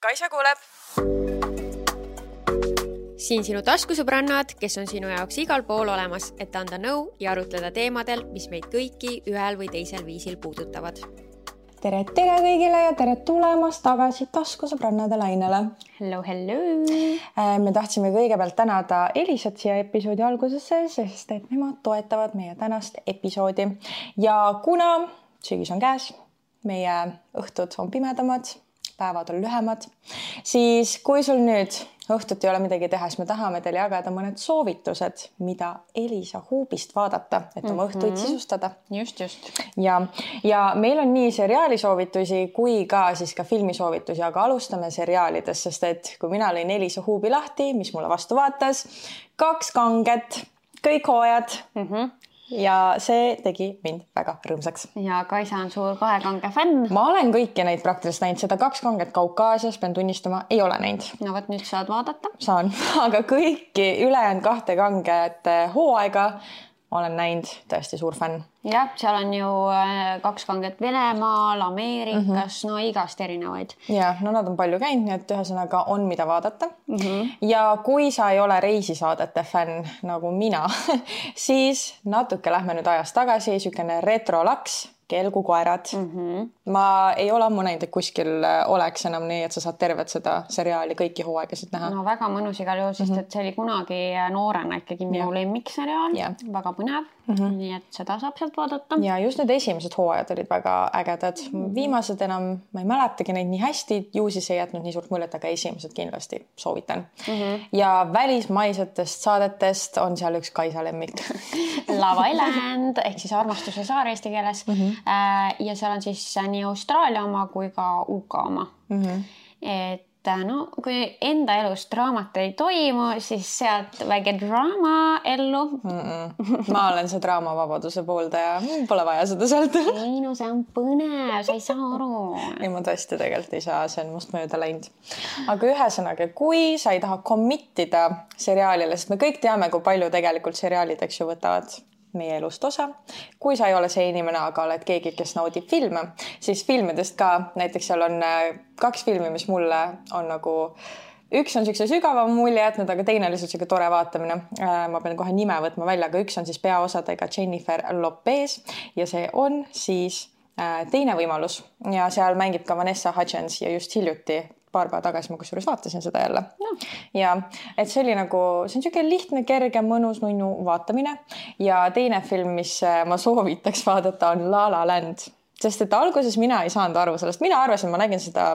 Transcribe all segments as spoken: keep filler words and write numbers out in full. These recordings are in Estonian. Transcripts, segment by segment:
Kaisa kuuleb. Siin sinu taskusõbrannad, kes on sinu jaoks igal pool olemas, et anda nõu ja arutleda teemadel, mis meid kõiki ühel või teisel viisil puudutavad. Tere, tere kõigile ja tere tulemast tagasi taskusõbrannade lainele. Hello, hello! Me tahtsime kõigepealt tänada Elisat siia episoodi algusesse, sest et nemad toetavad meie tänast episoodi. Ja kuna sügis on käes, meie õhtud on pimedamad, päevad on lühemad, siis kui sul nüüd õhtut ei ole midagi teha, siis me tahame teile jagada mõned soovitused, mida Elisa Huubist vaadata, et oma mm-hmm. õhtuid sisustada. Just, just. Ja, ja meil on nii seriaali soovitusi kui ka siis ka filmisoovitusi, aga alustame seriaalidest, sest et kui mina lõin Elisa Huubi lahti, mis mulle vastu vaatas, kaks kanget, kõik hooajad, mm-hmm. ja see tegi mind väga rõõmsaks. Ja Kaisa on suur kahe kange fänn. Ma olen kõiki neid praktiliselt näinud, seda kaks kanget Kaukaasias, pean tunnistama, ei ole näinud. No võt nüüd saad vaadata. Saan, aga kõiki ülejäänud kahte kanget hooaega olen näinud, tõesti suur fänn. Jah, seal on ju kaks kanget Venemaal, Ameerikas, mm-hmm. no igast erinevaid. Ja, no nad on palju käinud, nii et ühesõnaga on mida vaadata. Mm-hmm. Ja kui sa ei ole reisisaadete fänn nagu mina, siis natuke lähme nüüd ajast tagasi, sükene retrolaks, Kelgukoerad. Mm-hmm. Ma ei ole ammu näinud, et kuskil oleks enam nii, et sa saad tervet seda seriaali kõiki hooaegasid näha. No väga mõnus igal juhul, sest mm-hmm. et see oli kunagi noorena ikkagi minu lemmikseriaal. Yeah. Väga põnev, mm-hmm. nii et seda saab sealt vaadata. Ja just need esimesed hooajad olid väga ägedad. Mm-hmm. Viimased enam, ma ei mäletagi neid nii hästi, ju siis ei jätnud nii suurt muljet, aga esimesed kindlasti soovitan. Mm-hmm. Ja välismaisetest saadetest on seal üks Kaisa lemmik. Love Island, ehk siis armastuse saar eesti keeles. Mm-hmm. Ja seal on siis nii Austraalia oma kui ka U K oma. Mm-hmm. Et no, kui enda elus draamat ei toimu, siis sealt väike draama ellu. Mm-mm. Ma olen see draamavabaduse pooldaja. Pole vaja seda sealt. Ei, no see on põnev, sa ei saa aru. Ei, ma tõesti tegelikult ei saa, see on must mööda läinud. Aga ühesõnaga, kui sa ei taha committida seriaalile, sest me kõik teame, kui palju tegelikult seriaalid, eks ju, võtavad meie elust osa. Kui sa ei ole see inimene, aga oled keegi, kes naudib filme, siis filmidest ka, näiteks seal on kaks filmi, mis mulle on nagu, üks on siukse sügavam mulje jätnud, aga teine on lihtsalt siuke tore vaatamine. Ma pean kohe nime võtma välja, aga üks on siis peaosadega Jennifer Lopez ja see on siis teine võimalus ja seal mängib ka Vanessa Hudgens ja just hiljuti paar päeva tagasi ma kusjuures vaatasin seda jälle. No. Ja et see oli nagu, see on siuke lihtne, kerge, mõnus nunnu vaatamine ja teine film, mis ma soovitaks vaadata on La La Land, sest et alguses mina ei saanud aru sellest, mina arvasin, ma nägin seda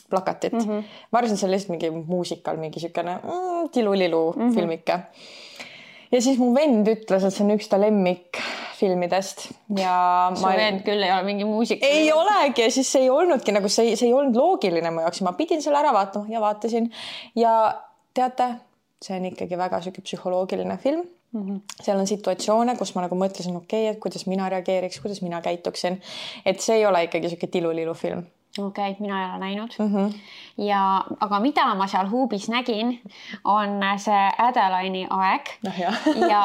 plakatit. Mm-hmm. Ma arvasin, see on lihtsalt mingi muusikal, mingi siukene mm, tilulilu mm-hmm. filmike. Ja siis mu vend ütles, et see on üks ta lemmik filmidest. Ja su ma... vend küll ei ole mingi muusika. Ei olegi ja siis see ei olnudki, nagu see, see ei olnud loogiline mu jaoks. Ma pidin selle ära vaatama ja vaatasin. Ja teate, see on ikkagi väga süki psühholoogiline film. Mm-hmm. Seal on situatsioone, kus ma nagu mõtlesin, okei, okay, et kuidas mina reageeriks, kuidas mina käituksin. Et see ei ole ikkagi süki tilulilu film. Okei, okay, mina ei ole näinud. Mm-hmm. Ja, aga mida ma seal Huubis nägin, on see Adeline'i aeg. No, ja. ja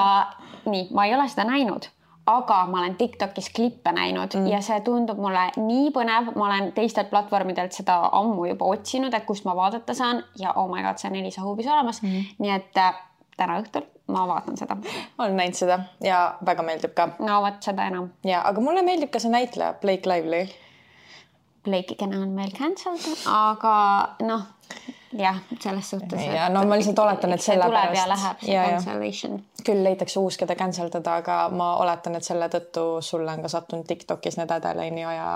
nii, ma ei ole seda näinud, aga ma olen TikTokis klippe näinud mm. ja see tundub mulle nii põnev. Ma olen teistelt platvormidelt seda ammu juba otsinud, et kust ma vaadata saan ja oh my god, see on Elisa Huubis olemas. Mm. Nii et täna õhtul ma vaatan seda. Ma olen näinud seda ja väga meeldib ka. No, võt seda enam. Ja, aga mulle meeldib ka see näitleja, Blake Lively. Blake'ikene on meil cancelled, aga noh, jah, selles suhtes. Ja, no ma lihtsalt oletan, et selle tuleb pärast. Ja läheb see ja, cancellation. Küll leitakse uus, keda canceldada, aga ma oletan, et selle tõttu sulle on ka sattunud TikTokis need Adeline'i ja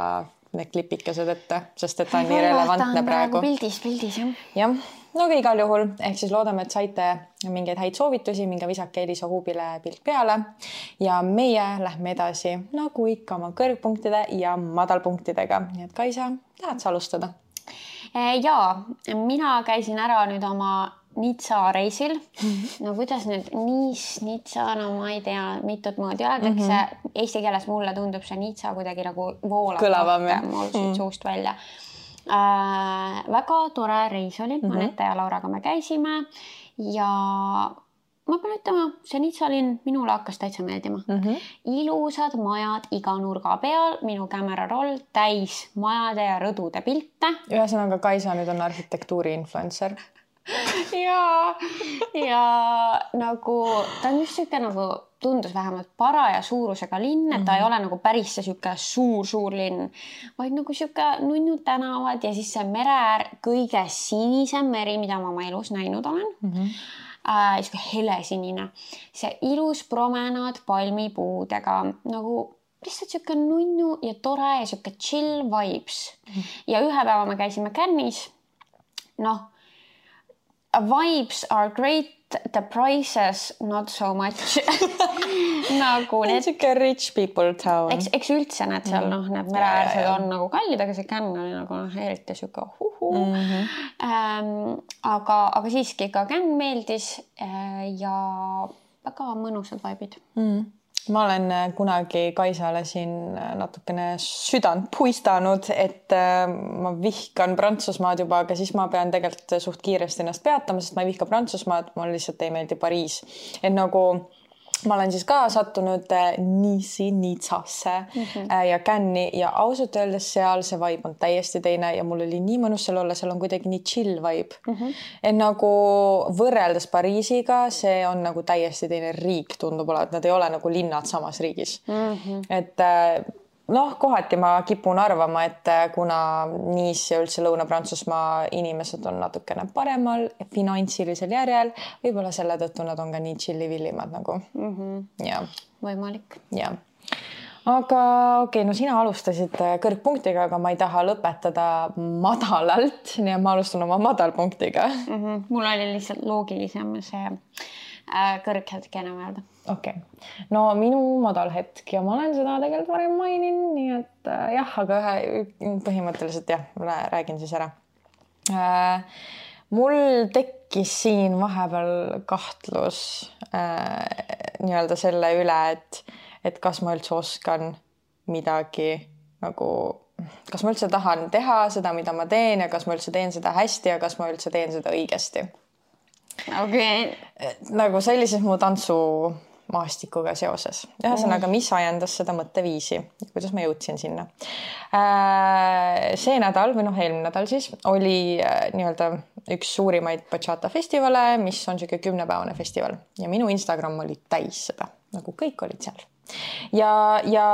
need klipikesed ette, sest et ta on nii relevantne praegu. Pildis, pildis, jah. Jah, no aga igal juhul, ehk siis loodame, et saite mingeid häid soovitusi, minge visake Elisa Huubile pilt peale ja meie lähme edasi nagu ikka oma kõrgpunktide ja madalpunktidega. Nii et Kaisa, tahad sa alustada? Jaa, mina käisin ära nüüd oma Nitsa reisil. No kuidas nüüd Niis, Nitsa, no ma ei tea, mitut moodi öeldakse. Mm-hmm. Eesti keeles mulle tundub see Nitsa kuidagi nagu voolab. Kõlavam, jah. Mul mm-hmm. suust välja. Äh, väga tore reis oli, mm-hmm. Anette ja Lauraga me käisime ja ma pean ütlema, Senitsalinn minule hakkas täitsa meeldima. Mm -hmm. Ilusad majad iga nurga peal, minu kämeraroll täis majade ja rõdude pilte. Ühesõnaga, Kaisa nüüd on arhitektuuri influencer. ja, ja nagu ta on just siuke nagu tundus vähemalt paraja suurusega linn, et ta mm-hmm. ei ole nagu päris see siuke suur-suur linn, vaid nagu siuke nunnud tänavad ja siis see mereäär, kõige sinisem meri, mida ma oma elus näinud olen. Mm-hmm. Äh, siuke helesinine, see ilus promenaad palmipuudega, nagu lihtsalt siuke nunnu ja tore ja siuke chill vibes. Mm-hmm. Ja ühe päeva me käisime Cannes'is, noh, vibes are great, the prices not so much. nagu need siuke rich people town. Eks, eks üldse need seal, mm. noh, need mereäärsed on nagu kallid, aga see Cannes oli nagu noh, eriti siuke huhu. Mm-hmm. Ähm, aga, aga siiski ka Cannes meeldis ja väga mõnusad vibe'id. Mm. Ma olen kunagi Kaisale siin natukene südant puistanud, et ma vihkan Prantsusmaad juba, aga siis ma pean tegelikult suht kiiresti ennast peatama, sest ma ei vihka Prantsusmaad, mul lihtsalt ei meeldi Pariis. Et nagu ma olen siis ka sattunud Nice'i, Nizasse mm-hmm. ja Cannes'i ja ausalt öeldes seal see vibe on täiesti teine ja mul oli nii mõnus seal olla, seal on kuidagi nii chill vibe. Mm-hmm. Et nagu võrreldes Pariisiga, see on nagu täiesti teine riik, tundub olla, et nad ei ole nagu linnad samas riigis. Mm-hmm. Et noh, kohati ma kipun arvama, et kuna Nice ja üldse Lõuna-Prantsusmaa inimesed on natukene paremal finantsilisel järjel, võib-olla selle tõttu nad on ka nii chilli-villimad nagu. Mm-hmm. Ja. Võimalik. Ja. Aga okei, okay, no sina alustasid kõrgpunktiga, aga ma ei taha lõpetada madalalt, nii et ma alustan oma madalpunktiga. Mm-hmm. Mul oli lihtsalt loogilisem see kõrghetk enam öelda. Okei, okay. No minu madal hetk ja ma olen seda tegelikult varem mainin, nii et äh, jah, aga ühe põhimõtteliselt jah, räägin siis ära. Äh, mul tekkis siin vahepeal kahtlus äh, nii-öelda selle üle, et, et kas ma üldse oskan midagi nagu, kas ma üldse tahan teha seda, mida ma teen ja kas ma üldse teen seda hästi ja kas ma üldse teen seda õigesti. Okei. Okay. Nagu sellises mu tantsu maastikuga seoses. Ühesõnaga, mis ajendas seda mõtteviisi, kuidas ma jõudsin sinna. See nädal või noh, eelmine nädal siis oli nii-öelda üks suurimaid bachata festivale, mis on siuke kümnepäevane festival ja minu Instagram oli täis seda, nagu kõik olid seal. Ja, ja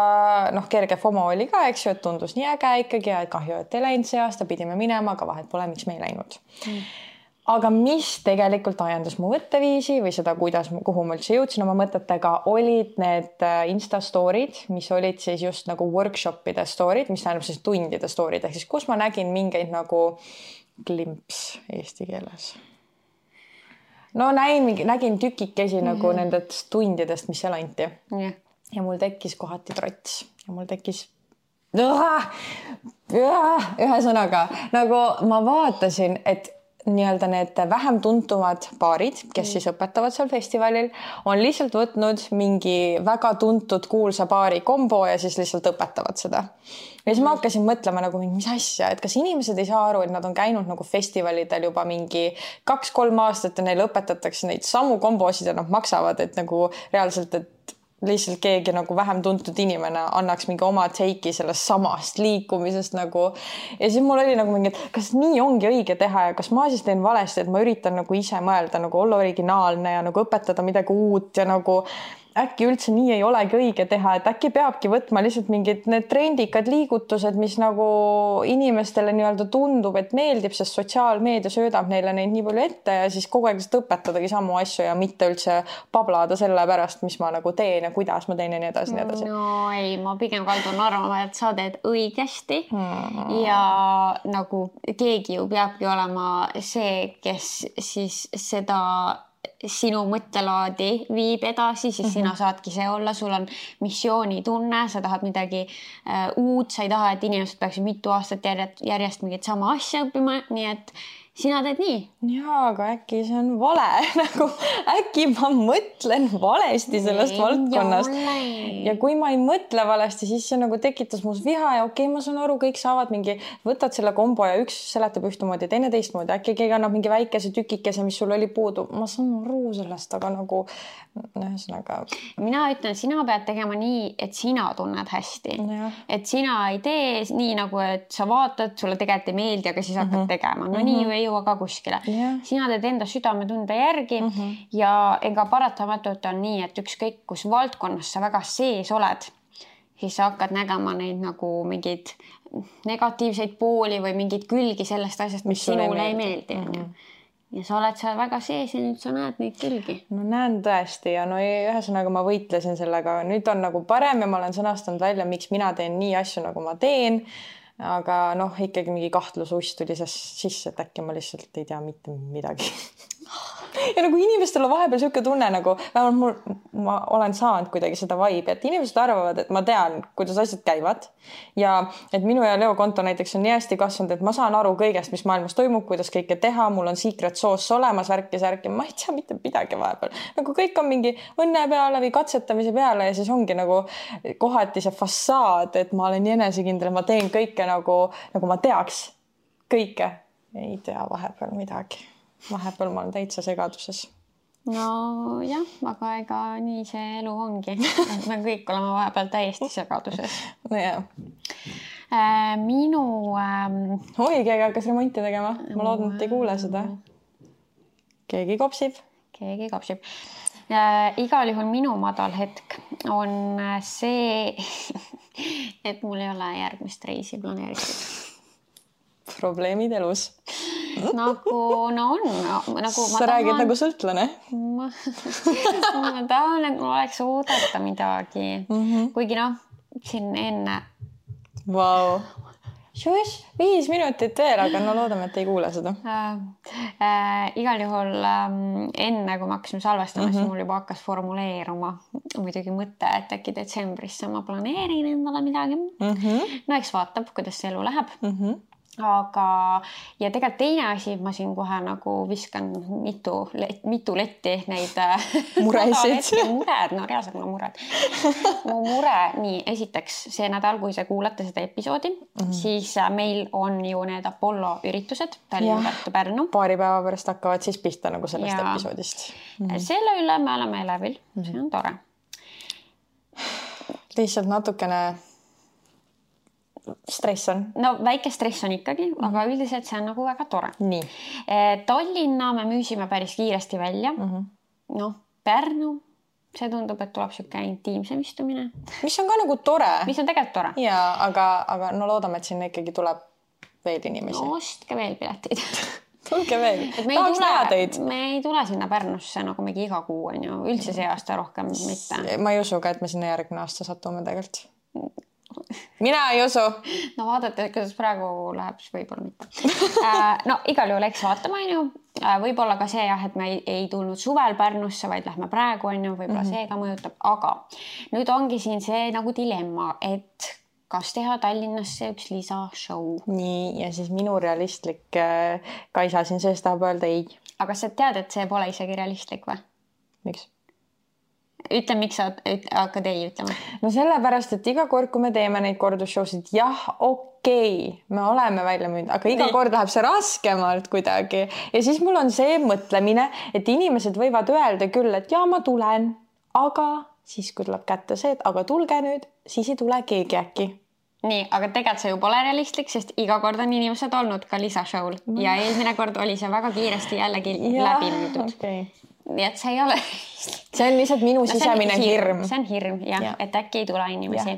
noh, kerge FOMO oli ka, eks ju, et tundus nii äge ikkagi ja kahju, et ei läinud see aasta, pidime minema, aga vahet pole, miks me ei läinud. Mm. Aga mis tegelikult ajendas mu mõtteviisi või seda, kuidas, kuhu ma üldse jõudsin oma mõtetega, olid need Insta story'd, mis olid siis just nagu workshopide story'd, mis tähendab siis tundide story'd, ehk siis kus ma nägin mingeid nagu klimps eesti keeles. No näin, nägin tükikesi mm-hmm. nagu nendest tundidest, mis seal anti. Yeah. Ja mul tekkis kohati trots ja mul tekkis ühesõnaga, nagu ma vaatasin, et nii-öelda need vähem tuntumad paarid, kes siis õpetavad seal festivalil, on lihtsalt võtnud mingi väga tuntud kuulsa paari kombo ja siis lihtsalt õpetavad seda. Ja siis ma hakkasin mõtlema nagu, mis asja, et kas inimesed ei saa aru, et nad on käinud nagu festivalidel juba mingi kaks-kolm aastat ja neile õpetatakse neid samu kombosid ja nad maksavad, et nagu reaalselt, et lihtsalt keegi nagu vähem tuntud inimene annaks mingi oma teiki sellest samast liikumisest nagu. Ja siis mul oli nagu mingi, et kas nii ongi õige teha ja kas ma siis teen valesti, et ma üritan nagu ise mõelda, nagu olla originaalne ja nagu õpetada midagi uut ja nagu äkki üldse nii ei olegi õige teha, et äkki peabki võtma lihtsalt mingid need trendikad liigutused, mis nagu inimestele nii-öelda tundub, et meeldib, sest sotsiaalmeedia söödab neile neid nii palju ette ja siis kogu aeg lihtsalt õpetadagi samu asju ja mitte üldse pablada selle pärast, mis ma nagu teen ja kuidas ma teen ja nii edasi, nii edasi. No ei, ma pigem kaldun arvama, et sa teed õigesti hmm. ja nagu keegi ju peabki olema see, kes siis seda sinu mõttelaadi viib edasi, siis mm-hmm. sina saadki see olla, sul on missioonitunne, sa tahad midagi uh, uut, sa ei taha, et inimesed peaksid mitu aastat järjest, järjest mingit sama asja õppima, nii et sina teed nii. Jaa, aga äkki see on vale. Nagu äkki ma mõtlen valesti sellest ei, valdkonnast. Ja kui ma ei mõtle valesti, siis see nagu tekitas mus viha ja okei, okay, ma saan aru, kõik saavad mingi, võtad selle kombo ja üks seletab ühtemoodi, teine teistmoodi. Äkki keegi annab mingi väikese tükikese, mis sul oli puudu. Ma saan aru sellest, aga nagu ühesõnaga. Mina ütlen, sina pead tegema nii, et sina tunned hästi. Ja. Et sina ei tee nii nagu, et sa vaatad, sulle tegelikult ei meeldi, aga siis hakkad mm -hmm. tegema. No mm -hmm. nii ju ei jõua ka kuskile. Ja. Sina teed enda südametunde järgi mm -hmm. ja ega paratamatult on nii, et ükskõik kus valdkonnas sa väga sees oled, siis sa hakkad nägema neid nagu mingeid negatiivseid pooli või mingeid külgi sellest asjast, mis, mis sinule ei meeldi. Mm -hmm. Ja sa oled seal väga sees ja nüüd sa näed neid külgi. No näen tõesti ja no ühesõnaga ma võitlesin sellega. Nüüd on nagu parem ja ma olen sõnastanud välja, miks mina teen nii asju, nagu ma teen. Aga noh, ikkagi mingi kahtlusuist tuli sisse, et äkki ma lihtsalt ei tea mitte midagi. Ja nagu inimestel on vahepeal siuke tunne nagu, vähemalt mul, ma olen saanud kuidagi seda vibe, et inimesed arvavad, et ma tean, kuidas asjad käivad ja et minu ja Leo konto näiteks on nii hästi kasvanud, et ma saan aru kõigest, mis maailmas toimub, kuidas kõike teha, mul on secret sauce olemas, värki, särki, ma ei tea mitte midagi vahepeal. Nagu kõik on mingi õnne peale või katsetamise peale ja siis ongi nagu kohati see fassaad, et ma olen nii enesekindel, ma teen kõike nagu, nagu ma teaks kõike. Ei tea vahepeal midagi. Vahepeal ma olen täitsa segaduses. No jah, aga ega nii see elu ongi. Me kõik oleme vahepeal täiesti segaduses. No jah. Äh, minu... Ähm... Oi, keegi hakkas remonti tegema. Ma loodan, et ei kuule seda. Keegi kopsib. Keegi kopsib. Äh, igal juhul minu madal hetk on see, et mul ei ole järgmist reisi planeeritud. Probleemid elus. Nagu, no on. Nagu ma Sa tahan, räägid nagu sõltlane. Ma, ma tahan, et mul oleks oodata midagi. Mm -hmm. Kuigi noh, siin enne. Vau. Šuš, viis minutit veel, aga no loodame, et ei kuule seda. Äh, äh, igal juhul äh, enne, kui me hakkasime salvestama, mm -hmm. siis mul juba hakkas formuleeruma muidugi mõte, et äkki detsembrisse ma planeerin endale midagi. Mm -hmm. No eks vaatab, kuidas see elu läheb. Mm -hmm. Aga ja tegelikult teine asi, ma siin kohe nagu viskan mitu, mitu letti neid muresid. Mured, no reaalselt mul on mured. Mu mure, nii, esiteks see nädal, kui sa kuulate seda episoodi, mm -hmm. siis meil on ju need Apollo üritused, Tallinna, Tartu, Pärnu. Paari päeva pärast hakkavad siis pihta nagu sellest ja. episoodist. Mm -hmm. Selle üle me oleme elevil, see on tore. Lihtsalt natukene... stress on. No väike stress on ikkagi, mm -hmm. aga üldiselt see on nagu väga tore. Nii. Tallinna me müüsime päris kiiresti välja. Mm -hmm. Noh, Pärnu, see tundub, et tuleb siuke intiimsem istumine. Mis on ka nagu tore. Mis on tegelikult tore. Jaa, aga, aga no loodame, et sinna ikkagi tuleb veel inimesi. No ostke veel piletid. Tulge veel. Et me, ei tule, me ei tule sinna Pärnusse nagu mingi iga kuu on ju. Üldse see aasta rohkem mitte. Ma ei usu ka, et me sinna järgmine aasta satume tegelikult. Mina ei usu. No vaadata, kuidas praegu läheb, siis võib-olla mitte. No igal juhul eks vaatame, on ju. Võib-olla ka see jah, et me ei, ei tulnud suvel Pärnusse, vaid lähme praegu, on ju. Võib-olla mm -hmm. see ka mõjutab. Aga nüüd ongi siin see nagu dilemma, et kas teha Tallinnasse üks lisashow. Nii, ja siis minu realistlik Kaisa siin sees tahab öelda ei. Aga sa tead, et see pole isegi realistlik või? Miks? Ütle, miks sa hakkad ei ütlema? No sellepärast, et iga kord, kui me teeme neid kordushowsid, jah, okei, okay, me oleme välja müünud, aga iga kord läheb see raskemalt kuidagi. Ja siis mul on see mõtlemine, et inimesed võivad öelda küll, et jaa, ma tulen, aga siis, kui tuleb kätte see, et aga tulge nüüd, siis ei tule keegi äkki. Nii, aga tegelikult see ju pole realistlik, sest iga kord on inimesed olnud ka lisashow'l mm. ja eelmine kord oli see väga kiiresti jällegi ja, läbi müüdud. Okay. Nii et see ei ole see on lihtsalt minu no, sisemine hirm, hirm. See on hirm, jah, ja. Et äkki ei tule inimesi. Ja.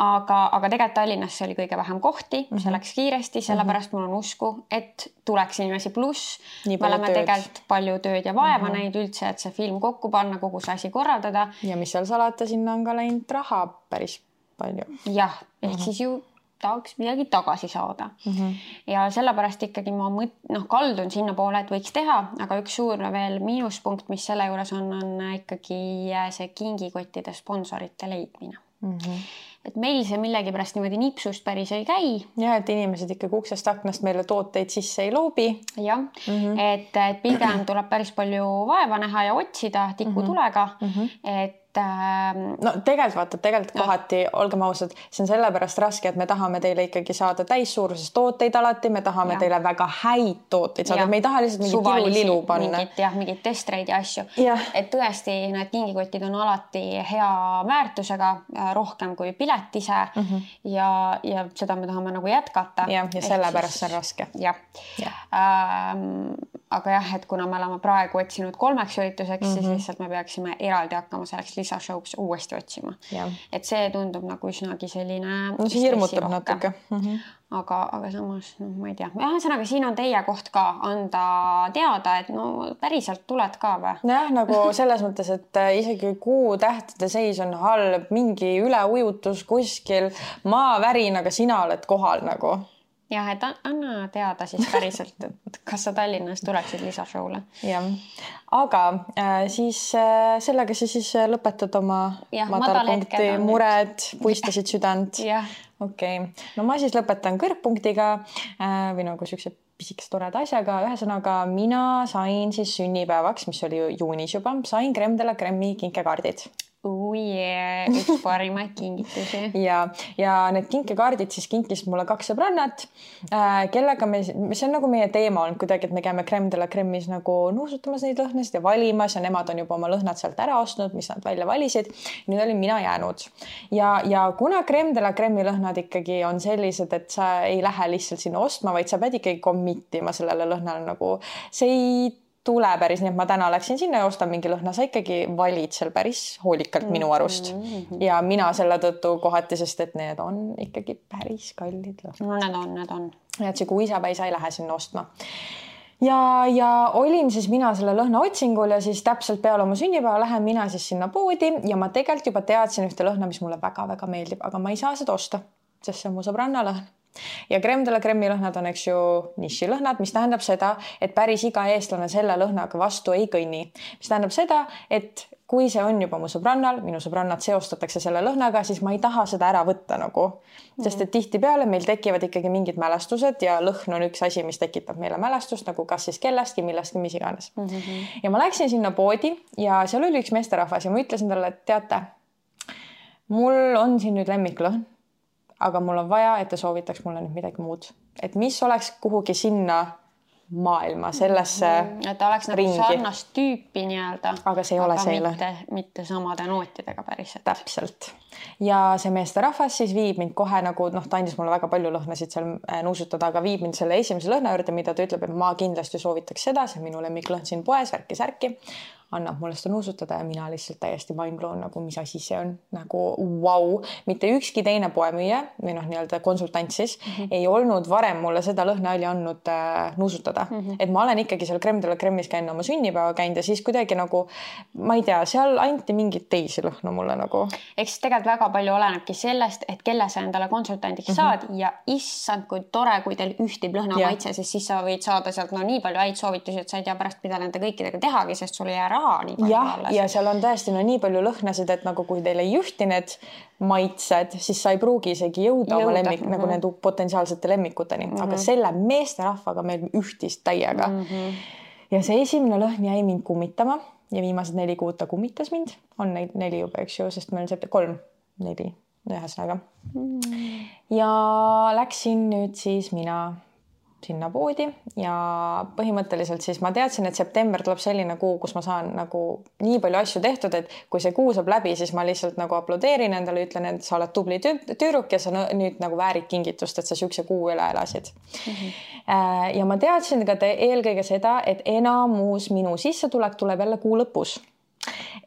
Aga, aga tegelikult Tallinnas oli kõige vähem kohti, mm -hmm. see läks kiiresti, sellepärast mul on usku, et tuleks inimesi pluss. Me oleme tööd. Tegelikult palju tööd ja vaeva mm -hmm. näinud üldse, et see film kokku panna, kogu see asi korraldada. Ja mis seal salata, sinna on ka läinud raha päris palju. Jah, ehk mm -hmm. siis ju tahaks midagi tagasi saada. Mm -hmm. Ja sellepärast ikkagi ma mõt, noh, kaldun sinna poole, et võiks teha, aga üks suur veel miinuspunkt, mis selle juures on, on ikkagi see kingikottide sponsorite leidmine. Mm -hmm. Et et meil see millegipärast niimoodi nipsust päris ei käi. Ja, et inimesed ikkagi uksest aknast meile tooteid sisse ei loobi. Jah, mm-hmm. et, et pigem tuleb päris palju vaeva näha ja otsida tikutulega, mm-hmm. et no tegelikult vaata, tegelikult no. kohati, olgem ausad, see on sellepärast raske, et me tahame teile ikkagi saada täissuuruses tooteid alati, me tahame ja. teile väga häid tooteid saada, me ei taha lihtsalt mingit tilu-lilu panna. Mingit, jah, mingit testreid ja asju. Ja. Et tõesti, need kingikotid on alati hea väärtusega, rohkem kui pilet ise mm-hmm. ja, ja seda me tahame nagu jätkata. Ja, ja sellepärast see on raske. Jah. Ja. Ähm, aga jah, et kuna me oleme praegu otsinud kolmeks ürituseks, mm-hmm. siis lihtsalt me peaksime eraldi hakkama selleks lisashowks uuesti otsima. Ja. Et see tundub nagu üsnagi selline no see hirmutab natuke. Mm-hmm. Aga, aga samas, no ma ei tea. Ühesõnaga, siin on teie koht ka anda teada, et no päriselt tuled ka või? Jah, nagu selles mõttes, et isegi kuu tähtede seis on halb, mingi üleujutus kuskil, maavärin, aga sina oled kohal nagu. Jah, et anna teada siis päriselt, et kas sa Tallinnas tuleksid lisashowle. Jah, aga äh, siis äh, sellega sa siis lõpetad oma ja, madalpunkti mured, puistasid südant. Jah. Okei, okay. No ma siis lõpetan kõrgpunktiga äh, või nagu siukse pisikese toreda asjaga. Ühesõnaga, mina sain siis sünnipäevaks, mis oli juunis juba, sain Crème de la Crème'i kinkekaardid. Oh yeah, üks parimaid kingitusi. ja, ja need kinkekaardid siis kinkisid mulle kaks sõbrannat, kellega me, see on nagu meie teema olnud kuidagi, et me käime Crème de la Crème'is nagu nuusutamas neid lõhnasid ja valimas ja nemad on juba oma lõhnad sealt ära ostnud, mis nad välja valisid. Nüüd olin mina jäänud. Ja, ja kuna Crème de la Crème'i lõhnad ikkagi on sellised, et sa ei lähe lihtsalt sinna ostma, vaid sa pead ikkagi committima sellele lõhnale nagu see ei tule päris, nii et ma täna läksin sinna ja ostan mingi lõhna, sa ikkagi valid seal päris hoolikalt minu arust. Mm-hmm. Ja mina selle tõttu kohati, sest et need on ikkagi päris kallid lõhnad. No need on, need on. Ja et see kui isapäi sa ei lähe sinna ostma. Ja, ja olin siis mina selle lõhna otsingul ja siis täpselt peale oma sünnipäeva lähen mina siis sinna poodi ja ma tegelikult juba teadsin ühte lõhna, mis mulle väga-väga meeldib, aga ma ei saa seda osta, sest see on mu sõbranna lõhn. Ja Crème de la Crème'i lõhnad on eks ju nišilõhnad, mis tähendab seda, et päris iga eestlane selle lõhnaga vastu ei kõnni. Mis tähendab seda, et kui see on juba mu sõbrannal, minu sõbrannad seostatakse selle lõhnaga, siis ma ei taha seda ära võtta nagu. Sest et tihti peale meil tekivad ikkagi mingid mälestused ja lõhn on üks asi, mis tekitab meile mälestust, nagu kas siis kellestki, millestki, mis iganes. Mm-hmm. Ja ma läksin sinna poodi ja seal oli üks meesterahvas ja ma ütlesin talle, et teate, mul on siin nüüd lemmiklõhn. Aga mul on vaja, et te soovitaks mulle nüüd midagi muud. Et mis oleks kuhugi sinna maailma, sellesse ringi. Et oleks nagu sarnast tüüpi nii-öelda. Aga see ei ole see lõhn. Mitte, mitte samade nootidega päriselt. Täpselt. Ja see meesterahvas siis viib mind kohe nagu, noh, ta andis mulle väga palju lõhnasid seal nuusutada, aga viib mind selle esimese lõhna juurde, mida ta ütleb, et ma kindlasti soovitaks seda, see minu lemmiklõhn siin poes, värki särki. Annab mulle seda nuusutada ja mina lihtsalt täiesti mindblown, nagu mis asi see on, nagu wow. Mitte ükski teine poemüüja või noh, nii-öelda konsultant siis mm-hmm. ei olnud varem mulle seda lõhnaõli andnud äh, nuusutada. Mm-hmm. Et ma olen ikkagi seal Crème de la Crème'is käinud oma sünnipäeva käinud ja siis kuidagi nagu, ma ei tea, seal anti mingid teisi lõhna mulle nagu. Eks tegelikult väga palju olenebki sellest, et kelle sa endale konsultandiks mm-hmm. saad ja issand, kui tore, kui teil ühtib lõhna yeah. maitse, siis, siis sa võid saada sealt no nii palju häid soovitusi, et sa ei tea pärast, mida nende kõikidega tehagi, sest sul ei jää jah, ja seal on tõesti no nii palju lõhnasid, et nagu kui teile ei juhti need maitsed, siis sa ei pruugi isegi jõuda, jõuda. Oma lemmik, mm-hmm. nagu nende potentsiaalsete lemmikuteni. Mm-hmm. Aga selle meesterahvaga meil ühtis täiega. Mm-hmm. Ja see esimene lõhn jäi mind kummitama ja viimased neli kuud ta kummitas mind. On neid neli juba, eks ju, sest meil on kolm, neli, ühesõnaga. Mm-hmm. Ja läksin nüüd siis mina sinna poodi ja põhimõtteliselt siis ma teadsin, et september tuleb selline kuu, kus ma saan nagu nii palju asju tehtud, et kui see kuu saab läbi, siis ma lihtsalt nagu aplodeerin endale, ütlen, et sa oled tubli tüüruk ja sa nüüd nagu väärid kingitust, et sa siukse kuu üle elasid. Mm-hmm. Ja ma teadsin ka eelkõige seda, et enamus minu sissetulek tuleb jälle kuu lõpus.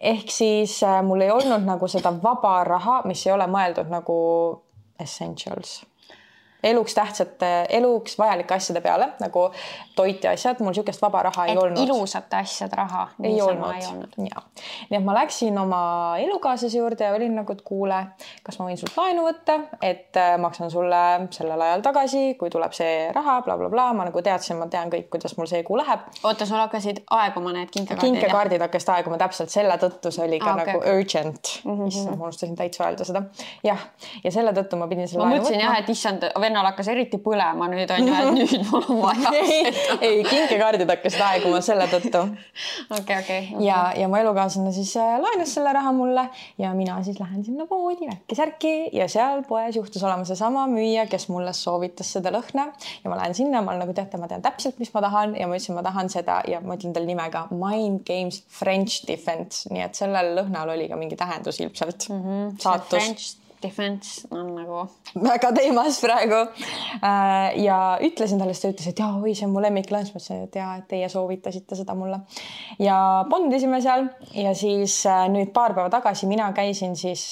Ehk siis mul ei olnud nagu seda vaba raha, mis ei ole mõeldud nagu essentials. eluks tähtsate, eluks vajalike asjade peale, nagu toit ja asjad, mul niisugust vaba raha ei et olnud. ilusate asjade raha ei olnud. ei olnud. Ja. Nii et ma läksin oma elukaaslase juurde ja olin nagu, et kuule, kas ma võin sult laenu võtta, et maksan sulle sellel ajal tagasi, kui tuleb see raha, bla, bla, bla. Ma nagu teadsin, ma tean kõik, kuidas mul see kuu läheb. Oota, sul hakkasid aeguma need kinkekaardid? Kinkekaardid hakkasid aeguma täpselt selle tõttu, see oli ka ah, okay. nagu urgent. Mm-hmm. Issand, ma unustasin täitsa öelda seda. Jah, ja selle tõttu ma pidin selle ma mõtlesin jah, et issand, vennal hakkas eriti põlema nüüd on ju, et nüüd mul on vaja ei, ei, kinkekaardid hakkasid aeguma selle tõttu. Okay, okay, okay. Ja, ja mu elukaaslane siis laenas selle raha mulle ja mina siis lähen sinna poodi värki-särki ja seal poes juhtus olema see sama müüja, kes mulle soovitas seda lõhna ja ma lähen sinna, ma olen nagu teate, ma tean täpselt, mis ma tahan ja ma ütlesin, ma tahan seda ja ma ütlen tal nimega Mind Games French Defense, nii et sellel lõhnal oli ka mingi tähendus ilmselt. Mm-hmm. Saatus. French Defense on nagu väga teemas praegu ja ütlesin talle, ta ütles, et jaa, oi, see on mu lemmiklõhn, ma ütlesin, et jaa, et teie soovitasite seda mulle ja bondisime seal ja siis nüüd paar päeva tagasi mina käisin siis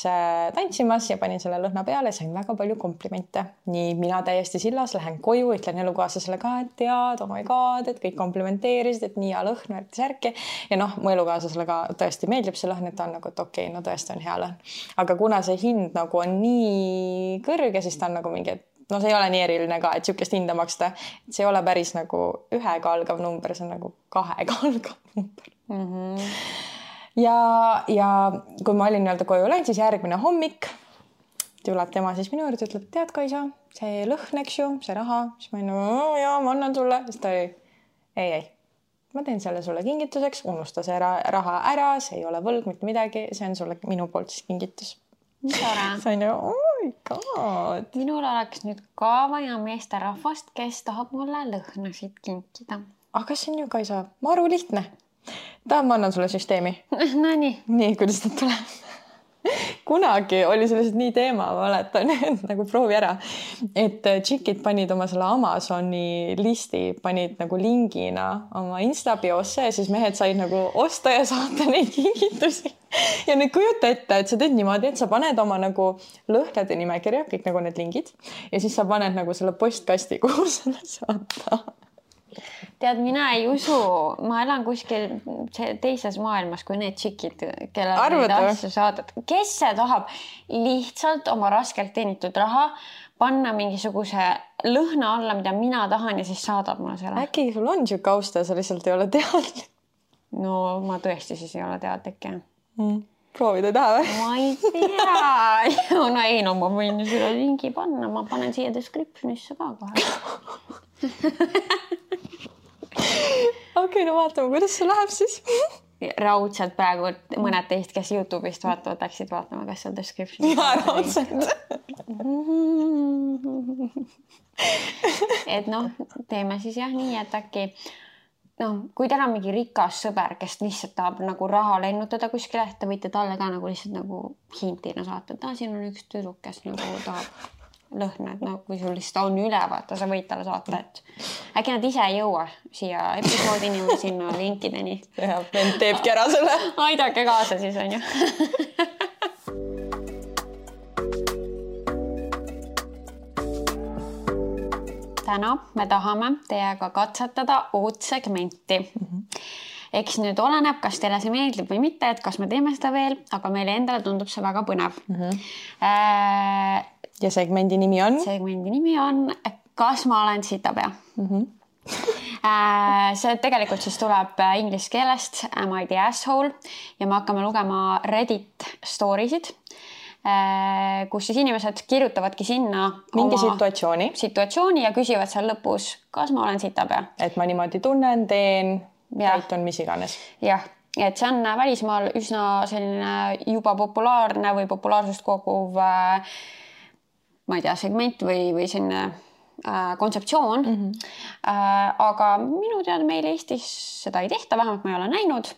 tantsimas ja panin selle lõhna peale, sain väga palju komplimente, nii mina täiesti sillas, lähen koju, ütlen elukaaslasele ka, et tead, oh my god, et kõik komplimenteerisid, et nii hea lõhn, värki särki ja noh, mu elukaaslasele ka tõesti meeldib see lõhn, et ta on nagu, et okei, okay, no tõesti on hea lõhn, aga kuna see hind nagu on nii kõrge, siis ta on nagu mingi, et no see ei ole nii eriline ka, et siukest hinda maksta, et see ei ole päris nagu ühega algav number, see on nagu kahega algav number. Mm-hmm. Ja, ja kui ma olin nii-öelda koju läinud, siis järgmine hommik tuleb tema siis minu juurde, ütleb, tead Kaisa, see lõhn, eks ju, see raha, siis ma olin, no jaa, ma annan sulle, siis ta oli, ei, ei, ma teen selle sulle kingituseks, unusta see raha ära, see ei ole võlg, mitte midagi, see on sulle minu poolt siis kingitus. Sain ju, oh my god. Minul oleks nüüd ka vaja meesterahvast, kes tahab mulle lõhnasid kinkida. Aga see on ju Kaisa, maru lihtne. Tahab, ma annan sulle süsteemi. No nii. Nii, kuidas nad tuleb. Kunagi oli sellised nii teema, ma mäletan, nagu proovi ära, et tšikid panid oma selle Amazoni listi, panid nagu lingina oma Insta biosse ja siis mehed said nagu osta ja saata neid kingitusi. Ja nüüd kujuta ette, et sa teed niimoodi, et sa paned oma nagu lõhnade nimekirja, kõik nagu need lingid ja siis sa paned nagu selle postkasti, kuhu seda saata. Tead, mina ei usu, ma elan kuskil teises maailmas kui need tšikid, kellel neid asju saadad. Kes see tahab lihtsalt oma raskelt teenitud raha panna mingisuguse lõhna alla, mida mina tahan ja siis saadab mulle selle? Äkki sul on siuke austa, sa lihtsalt ei ole teadlik? No ma tõesti siis ei ole teadlik, jah. Mm. Proovid ei taha või? Ma ei tea. No ei, no ma võin selle lingi panna, ma panen siia descriptionisse ka kohe. Okei, okay, no vaatame, kuidas see läheb siis. Raudselt praegu mõned teist, kes YouTube'ist vaatavad, läksid vaatama, kas seal description. Jaa, raudselt. Et noh, teeme siis jah nii, et äkki noh, kui teil on mingi rikas sõber, kes lihtsalt tahab nagu raha lennutada kuskile, te võite talle ka nagu lihtsalt nagu hintina saata, et ah, siin on üks tüdruk, kes nagu tahab lõhna, et no kui sul lihtsalt on üle, vaata, sa võid talle saata, et äkki nad ise ei jõua siia episoodini või sinna linkideni. Ja, vend teebki ära selle. Aidake kaasa siis, on ju. Täna me tahame teiega katsetada uut segmenti. Mm-hmm. Eks nüüd oleneb, kas teile see meeldib või mitte, et kas me teeme seda veel, aga meile endale tundub see väga põnev. Mm-hmm. Äh, ja segmendi nimi on? Segmendi nimi on Kas ma olen sitapea? Mm-hmm. See tegelikult siis tuleb inglise keelest Am I the asshole ja me hakkame lugema Reddit stories'id, kus siis inimesed kirjutavadki sinna mingi situatsiooni. situatsiooni ja küsivad seal lõpus, kas ma olen sitapea. Et ma niimoodi tunnen, teen, käitun mis iganes. Jah, et see on välismaal üsna selline juba populaarne või populaarsust koguv ma ei tea, segment või, või selline äh, kontseptsioon. Mm-hmm. Äh, aga minu teada meil Eestis seda ei tehta, vähemalt ma ei ole näinud.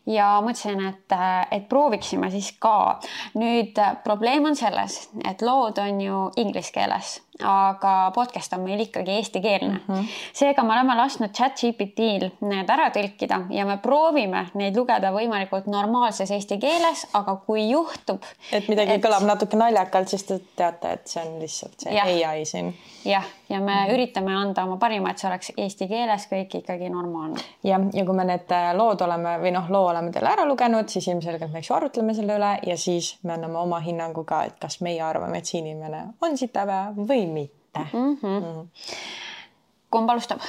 ja mõtlesin, et, et prooviksime siis ka. Nüüd probleem on selles, et lood on ju inglise keeles, aga podcast on meil ikkagi eestikeelne. Mm -hmm. Seega me oleme lasknud ChatGPT-l need ära tõlkida ja me proovime neid lugeda võimalikult normaalses eesti keeles, aga kui juhtub... Et midagi et... kõlab natuke naljakalt, siis te teate, et see on lihtsalt see ja. A I siin. Jah, ja me mm -hmm. üritame anda oma parima, et see oleks eesti keeles kõik ikkagi normaalne. Ja, ja kui me need lood oleme või noh, loo oleme teile ära lugenud, siis ilmselgelt me eks arutleme selle üle ja siis me anname oma hinnangu ka, et kas meie arvame, et see inimene on sitav või mitte. Mm -hmm. Mm -hmm. Kumb alustab?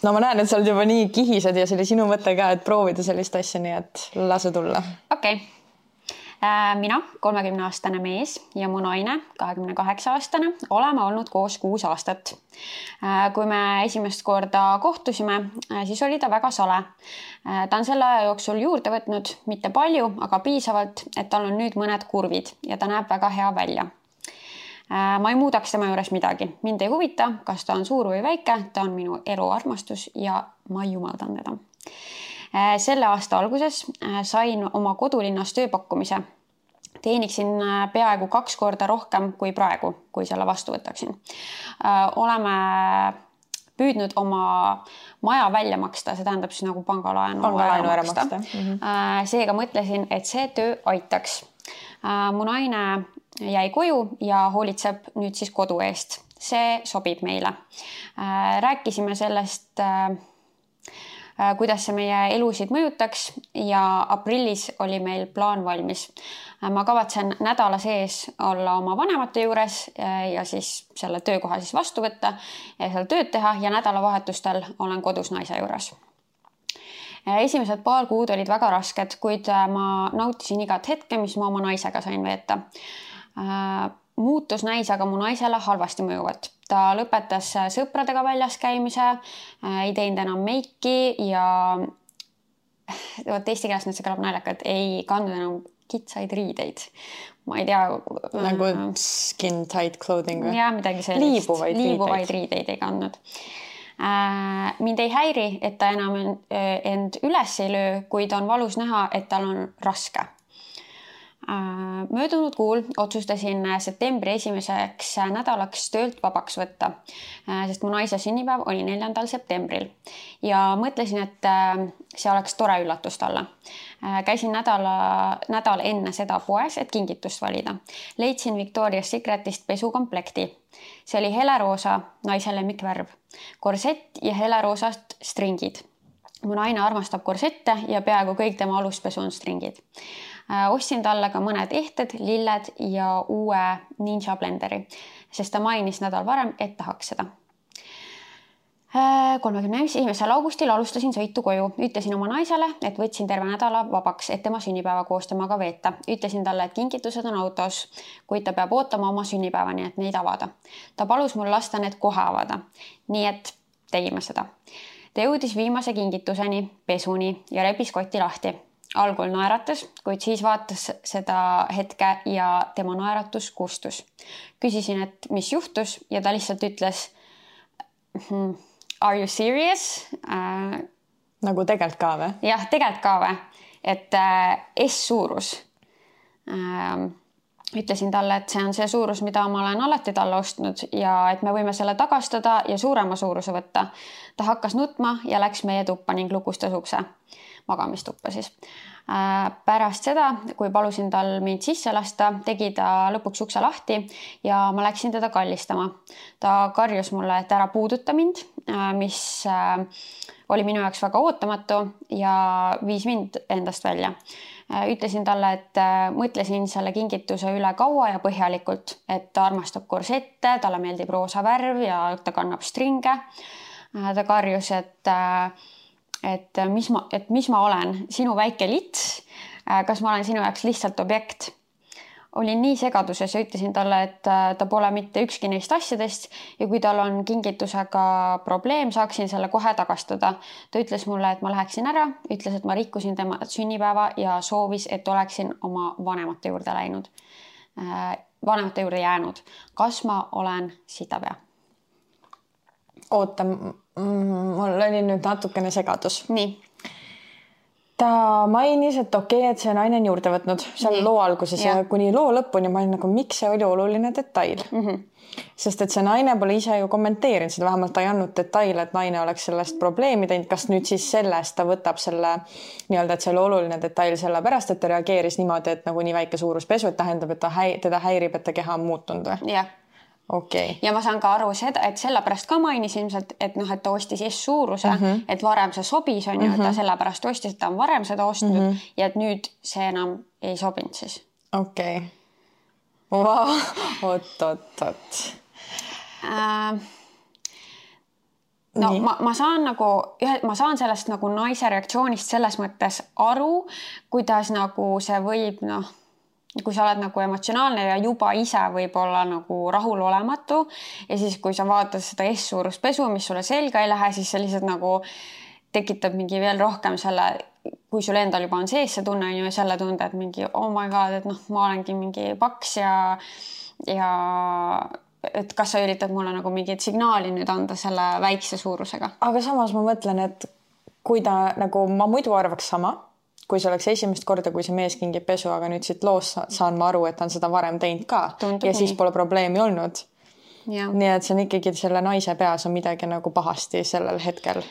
No ma näen, et sa oled juba nii kihised ja see oli sinu mõte ka, et proovida sellist asja, nii et lase tulla. Okei. Okay. Mina, kolmekümne-aastane mees ja mu naine, kahekümne kaheksa aastane, oleme olnud koos kuus aastat. Kui me esimest korda kohtusime, siis oli ta väga sale. Ta on selle aja jooksul juurde võtnud mitte palju, aga piisavalt, et tal on nüüd mõned kurvid ja ta näeb väga hea välja. Ma ei muudaks tema juures midagi. Mind ei huvita, kas ta on suur või väike, ta on minu elu armastus ja ma jumaldan teda. Selle aasta alguses sain oma kodulinnas tööpakkumise. Teeniksin peaaegu kaks korda rohkem kui praegu, kui selle vastu võtaksin. Oleme püüdnud oma maja välja maksta, see tähendab siis nagu pangalaenu, pangalaenu ära maksta. Mm -hmm. Seega mõtlesin, et see töö aitaks. Mu naine jäi koju ja hoolitseb nüüd siis kodu eest. See sobib meile. Rääkisime sellest... kuidas see meie elusid mõjutaks ja aprillis oli meil plaan valmis. Ma kavatsen nädala sees olla oma vanemate juures ja siis selle töökoha siis vastu võtta ja seal tööd teha ja nädalavahetustel olen kodus naise juures. Esimesed paar kuud olid väga rasked, kuid ma nautisin igat hetke, mis ma oma naisega sain veeta. Muutus näis aga mu naisele halvasti mõjuvat. Ta lõpetas sõpradega väljas käimise, ei teinud enam meiki ja võt eesti keeles nüüd see kõlab naljakalt, ei kandnud enam kitsaid riideid. Ma ei tea... Nagu skin tight clothing või? Ja, midagi sellist. Liibuvaid, Liibuvaid riideid ei kandnud. Mind ei häiri, et ta enam end üles ei löö, kuid on valus näha, et tal on raske. Möödunud kuul otsustasin septembri esimeseks nädalaks töölt vabaks võtta, sest mu naise sünnipäev oli neljandal septembril ja mõtlesin, et see oleks tore üllatus talle. Käisin nädala, nädal enne seda poes, et kingitust valida. Leidsin Victoria's Secretist pesukomplekti. See oli heleroosa naise lemmikvärv, korsett ja heleroosast stringid. Mu naine armastab korsette ja peaaegu kõik tema aluspesu on stringid. Ostsin talle ka mõned ehted, lilled ja uue Ninja blenderi, sest ta mainis nädal varem, et tahaks seda. kolmekümne esimesel augustil alustasin sõitu koju. Ütlesin oma naisele, et võtsin terve nädala vabaks, et tema sünnipäeva koos temaga veeta. Ütlesin talle, et kingitused on autos, kuid ta peab ootama oma sünnipäevani, et neid avada. Ta palus mul lasta need kohe avada. Nii et tegime seda. Ta jõudis viimase kingituseni, pesuni ja rebis kotti lahti. Algul naeratas, kuid siis vaatas seda hetke ja tema naeratus kustus. Küsisin, et mis juhtus ja ta lihtsalt ütles, are you serious? Äh, nagu tegelikult ka või? Jah, tegelikult ka või. Et äh, S-suurus. Äh, ütlesin talle, et see on see suurus, mida ma olen alati talle ostnud ja et me võime selle tagastada ja suurema suuruse võtta. Ta hakkas nutma ja läks meie tuppa ning lukustas ukse. Magamistuppa siis. Pärast seda, kui palusin tal mind sisse lasta, tegi ta lõpuks ukse lahti ja ma läksin teda kallistama. Ta karjus mulle, et ära puuduta mind, mis oli minu jaoks väga ootamatu ja viis mind endast välja. Ütlesin talle, et mõtlesin selle kingituse üle kaua ja põhjalikult, et ta armastab korsette, talle meeldib roosa värv ja ta kannab stringe. Ta karjus, et et mis ma, et mis ma olen, sinu väike lits, kas ma olen sinu jaoks lihtsalt objekt. Olin nii segaduses ja ütlesin talle, et ta pole mitte ükski neist asjadest ja kui tal on kingitusega probleem, saaksin selle kohe tagastada. Ta ütles mulle, et ma läheksin ära, ütles, et ma rikkusin tema sünnipäeva ja soovis, et oleksin oma vanemate juurde läinud. Vanemate juurde jäänud. Kas ma olen sitapea? Oota, mul oli nüüd natukene segadus. Nii. ta mainis, et okei okay,, et see naine on juurde võtnud seal loo alguses ja. ja kuni loo lõpuni ma olin nagu, miks see oli oluline detail mm. -hmm. Sest et see naine pole ise ju kommenteerinud seda, vähemalt ta ei andnud detaile, et naine oleks sellest probleemi teinud. Kas nüüd siis sellest ta võtab selle nii-öelda, et see oli oluline detail sellepärast, et ta reageeris niimoodi, et nagu nii väike suuruspesu, et tähendab, et ta häi, teda häirib, et ta keha on muutunud või? Jah. Okay. Ja ma saan ka aru seda, et sellepärast ka mainis ilmselt, et noh, et ta ostis S-suuruse, mm -hmm. et varem see sobis, on ju, mm -hmm. ta sellepärast ostis, et ta on varem seda ostnud mm -hmm. ja et nüüd see enam ei sobinud siis. Okei. Okay. Wow. Oot, oot, oot. Äh, no Nii. ma, ma saan nagu, ma saan sellest nagu naise reaktsioonist selles mõttes aru, kuidas nagu see võib, noh, kui sa oled nagu emotsionaalne ja juba ise võib olla nagu rahulolematu ja siis, kui sa vaatad seda S-suurust pesu, mis sulle selga ei lähe, siis see lihtsalt nagu tekitab mingi veel rohkem selle, kui sul endal juba on sees see tunne ja selle tunde, et mingi oh my god, et noh, ma olengi mingi paks ja ja et kas sa üritad mulle nagu mingit signaali nüüd anda selle väikse suurusega. Aga samas ma mõtlen, et kui ta nagu, ma muidu arvaks sama, kui see oleks esimest korda, kui see mees kingib pesu, aga nüüd siit loos saan ma aru, et ta on seda varem teinud ka. Tundub ja nii. Siis pole probleemi olnud. Ja. Nii et see on ikkagi selle naise peas on midagi nagu pahasti sellel hetkel.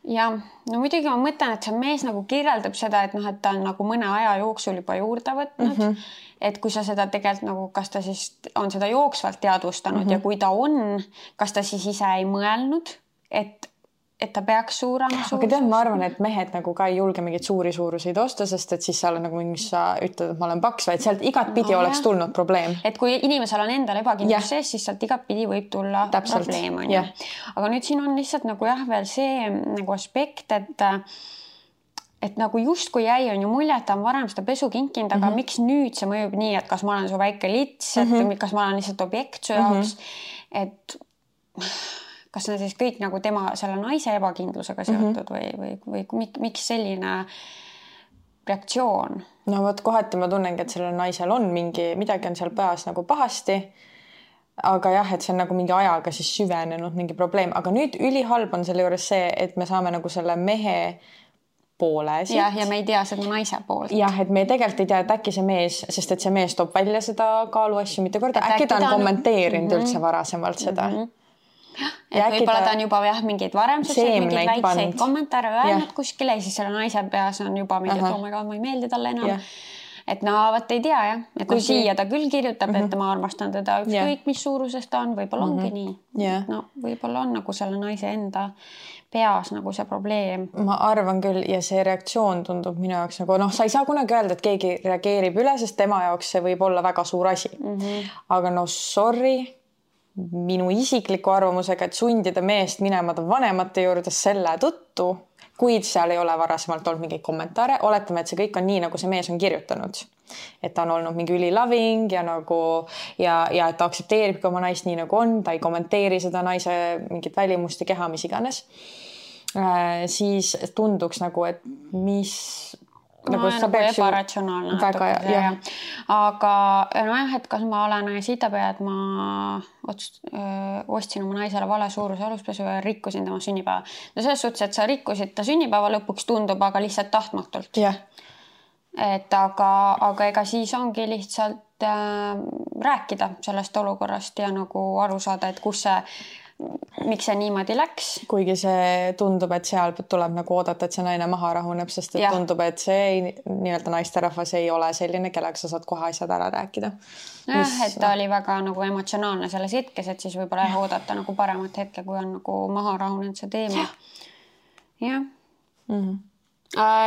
Ja, no muidugi ma mõtlen, et see mees nagu kirjeldab seda, et noh, et ta on nagu mõne aja jooksul juba juurde võtnud. Mm -hmm. Et kui sa seda tegelikult nagu, kas ta siis on seda jooksvalt teadvustanud mm -hmm. ja kui ta on, kas ta siis ise ei mõelnud, et, et ta peaks suurema suurus. Aga tead, ma arvan, et mehed nagu ka ei julge mingit suuri suuruseid osta, sest et siis seal on nagu mingi, sa ütled, et ma olen paks, vaid sealt igat pidi no, oleks tulnud probleem. Et kui inimesel on endal ebakindlus sees, siis sealt igat pidi võib tulla Täpselt. Probleem. On ja. Aga nüüd siin on lihtsalt nagu jah, veel see nagu aspekt, et et nagu justkui jäi on ju mulje, et ta on varem seda pesu kinkinud, aga mm -hmm. miks nüüd see mõjub nii, et kas ma olen su väike lits, et mm -hmm. kas ma olen lihtsalt objekt su jaoks, mm -hmm. et kas see on siis kõik nagu tema selle naise ebakindlusega seotud mm -hmm. või, või, või miks selline reaktsioon? No vot, kohati ma tunnengi, et sellel naisel on mingi, midagi on seal peas nagu pahasti, aga jah, et see on nagu mingi ajaga siis süvenenud mingi probleem, aga nüüd ülihalb on selle juures see, et me saame nagu selle mehe poole siit. Ja, ja me ei tea seda naise poolt. Jah, et me tegelikult ei tea, et äkki see mees, sest et see mees toob välja seda kaaluasju mitte korda, äkki, äkki ta on, ta on kommenteerinud mm -hmm. üldse varasemalt seda. Mm -hmm. Et võib-olla ta on juba jah, mingid varemsed, mingid väikseid kommentaare öelnud kuskile ja siis selle naise peas on juba mingi, et oh my god, ma ei meeldi talle enam. Ja. Et no vot ei tea jah, et kui siia ta küll kirjutab, mm -hmm. et ma armastan teda ükskõik yeah. mis suurusest ta on, võib-olla mm -hmm. ongi nii. Yeah. No võib-olla on nagu selle naise enda peas nagu see probleem. Ma arvan küll ja see reaktsioon tundub minu jaoks nagu noh, sa ei saa kunagi öelda, et keegi reageerib üle, sest tema jaoks see võib olla väga suur asi. Mm -hmm. Aga no sorry, minu isikliku arvamusega, et sundida meest minema ta vanemate juurde selle tõttu, kuid seal ei ole varasemalt olnud mingeid kommentaare, oletame, et see kõik on nii, nagu see mees on kirjutanud. Et ta on olnud mingi ülilaving ja nagu ja, ja et ta aktsepteeribki oma naist nii nagu on, ta ei kommenteeri seda naise mingit välimust ja keha, mis iganes. Äh, siis tunduks nagu, et mis nagu, no, nagu ebaratsionaalne väga, ja, ja. Aga nojah, et kas ma olen sitapea, et ma ots, öö, ostsin oma naisele vale suuruse aluspesu ja rikkusin tema sünnipäeva. No selles suhtes, et sa rikkusid ta sünnipäeva lõpuks tundub, aga lihtsalt tahtmatult. Yeah. Et aga, aga ega siis ongi lihtsalt äh, rääkida sellest olukorrast ja nagu aru saada, et kus see miks see niimoodi läks. Kuigi see tundub, et seal tuleb nagu oodata, et see naine maha rahuneb, sest et ja. Tundub, et see nii-öelda naisterahvas ei ole selline, kellega sa saad kohe asjad ära rääkida. Jah, et ta oli väga nagu emotsionaalne selles hetkes, et siis võib-olla jah, oodata nagu paremat hetke, kui on nagu maha rahunenud see teema. Jah. Mm -hmm.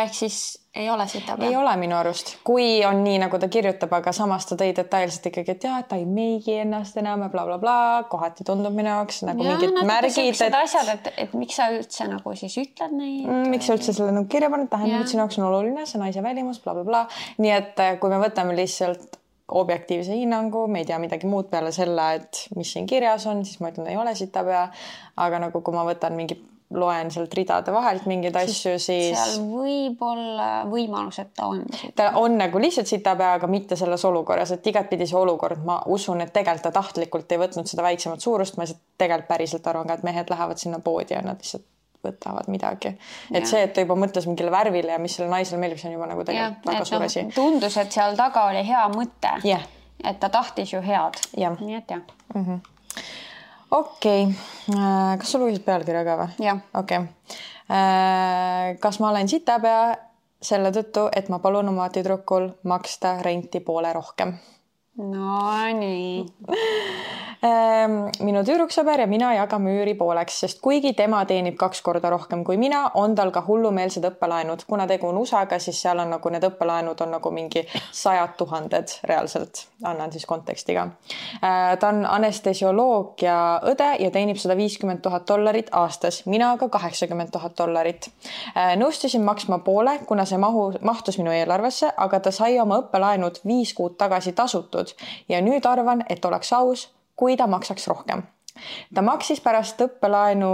Ehk siis ei ole sitapea. Ei ole minu arust. Kui on nii, nagu ta kirjutab, aga samas ta tõi detailselt ikkagi, et jah, ta ei meigi ennast enam ja bla, bla, bla. Kohati tundub minu jaoks nagu ja, mingid märgid. Et... asjad, et, et miks sa üldse nagu siis ütled neid? Mm, miks sa üldse selle nagu kirja pannud? Tähendab, et sinu jaoks on oluline see naise välimus, bla, bla, bla. Nii et kui me võtame lihtsalt objektiivse hinnangu, me ei tea midagi muud peale selle, et mis siin kirjas on, siis ma ütlen, ei ole sitapea. Aga nagu kui ma võtan mingi loen sealt ridade vahelt mingeid asju, siis... Seal võib olla võimalus, et ta on. Ta on nagu lihtsalt sitapea, aga mitte selles olukorras, et igatpidi see olukord, ma usun, et tegelikult ta tahtlikult ei võtnud seda väiksemat suurust, ma tegelikult päriselt arvan ka, et mehed lähevad sinna poodi ja nad lihtsalt võtavad midagi. Et ja. see, et ta juba mõtles mingile värvile ja mis selle naisele meeldib, see on juba nagu tegelikult ja, väga suur asi. Tundus, et seal taga oli hea mõte. Yeah. Et ta tahtis ju head. Ja. Nii et jah. Mm-hmm. Okei. Okay. Kas sul lugesid pealkirja ka või? Jah. Okei. Okay. Kas ma olen sitapea selle tõttu, et ma palun oma tüdrukul maksta renti poole rohkem? No nii. Minu tüdruksõber ja mina jagame üüri pooleks, sest kuigi tema teenib kaks korda rohkem kui mina, on tal ka hullumeelsed õppelaenud. Kuna tegu on U S A-ga, siis seal on nagu need õppelaenud on nagu mingi sajad tuhanded reaalselt. Annan siis kontekstiga. Ta on anestesioloogia õde ja teenib sada viiskümmend tuhat dollarit aastas. Mina aga kaheksakümmend tuhat dollarit. Nõustusin maksma poole, kuna see mahu, mahtus minu eelarvesse, aga ta sai oma õppelaenud viis kuud tagasi tasutud. Ja nüüd arvan, et oleks aus, kui ta maksaks rohkem. Ta maksis pärast õppelaenu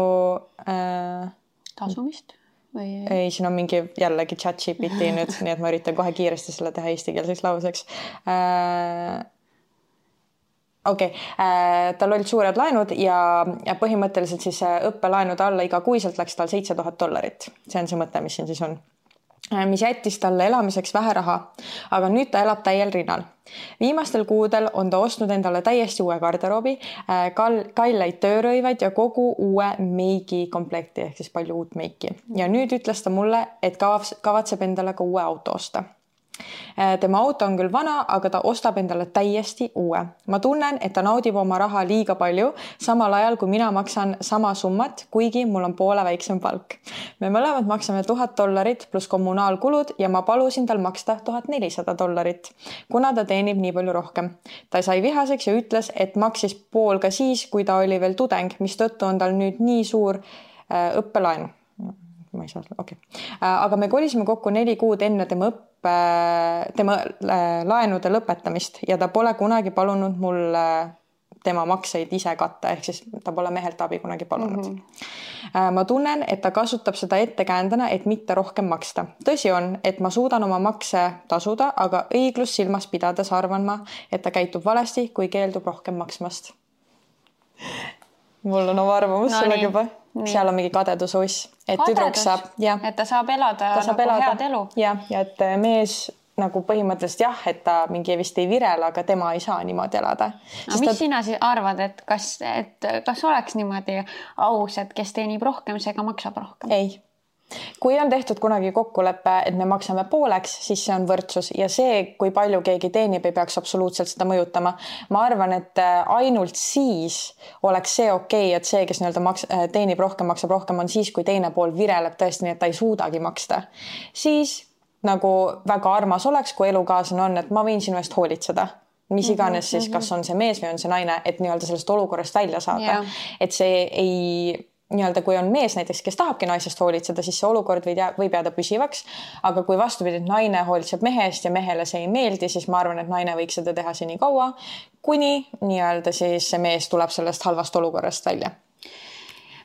äh, tasumist? Või... Ei, siin on mingi jällegi chat G P T nüüd, nii et ma üritan kohe kiiresti selle teha eestikeelseks lauseks. Äh, Okei, okay. äh, tal olid suured laenud ja, ja põhimõtteliselt siis õppelaenude alla iga kuiselt läks tal seitse tuhat dollarit. See on see mõte, mis siin siis on. Mis jättis talle elamiseks vähe raha, aga nüüd ta elab täiel rinnal. Viimastel kuudel on ta ostnud endale täiesti uue garderoobi, kallaid töörõivaid ja kogu uue meigi komplekti, ehk siis palju uut meiki. Ja nüüd ütles ta mulle, et kavatseb endale ka uue auto osta. Tema auto on küll vana, aga ta ostab endale täiesti uue. Ma tunnen, et ta naudib oma raha liiga palju, samal ajal kui mina maksan sama summat, kuigi mul on poole väiksem palk. Me mõlemad maksame tuhat dollarit pluss kommunaalkulud ja ma palusin tal maksta tuhat nelisada dollarit, kuna ta teenib nii palju rohkem. Ta sai vihaseks ja ütles, et maksis pool ka siis, kui ta oli veel tudeng, mis tõttu on tal nüüd nii suur äh, õppelaenu. Ma ei saa, okei. Okay. Aga me kolisime kokku neli kuud enne tema õppe, tema laenude lõpetamist ja ta pole kunagi palunud mul tema makseid ise katta, ehk siis ta pole mehelt abi kunagi palunud. Mm-hmm. Ma tunnen, et ta kasutab seda ettekäändena, et mitte rohkem maksta. Tõsi on, et ma suudan oma makse tasuda, aga õiglus silmas pidades arvan ma, et ta käitub valesti, kui keeldub rohkem maksmast. Mul on oma arvamus no, sellega juba. Nii. Seal on mingi kadedusouss, et Kadedus, tüdruk saab, ja, et ta saab elada ta saab nagu elada, head elu. Ja, ja et mees nagu põhimõtteliselt jah, et ta mingi vist ei virele, aga tema ei saa niimoodi elada. No, mis ta... sina siis arvad, et kas, et kas oleks niimoodi aus, et kes teenib rohkem, see ka maksab rohkem? Ei. Kui on tehtud kunagi kokkulepe, et me maksame pooleks, siis see on võrdsus ja see, kui palju keegi teenib, ei peaks absoluutselt seda mõjutama. Ma arvan, et ainult siis oleks see okei, et see, kes nii-öelda maks, teenib rohkem, maksab rohkem, on siis, kui teine pool vireleb tõesti nii, et ta ei suudagi maksta. Siis nagu väga armas oleks, kui elukaaslane on, et ma võin sinu eest hoolitseda. Mis iganes siis, kas on see mees või on see naine, et nii-öelda sellest olukorrast välja saada. Yeah. Et see ei... nii-öelda kui on mees näiteks, kes tahabki naisest hoolitseda, siis see olukord võib jääda püsivaks, aga kui vastupidi, et naine hoolitseb mehe eest ja mehele see ei meeldi, siis ma arvan, et naine võiks seda teha seni kaua, kuni nii-öelda siis see mees tuleb sellest halvast olukorrast välja.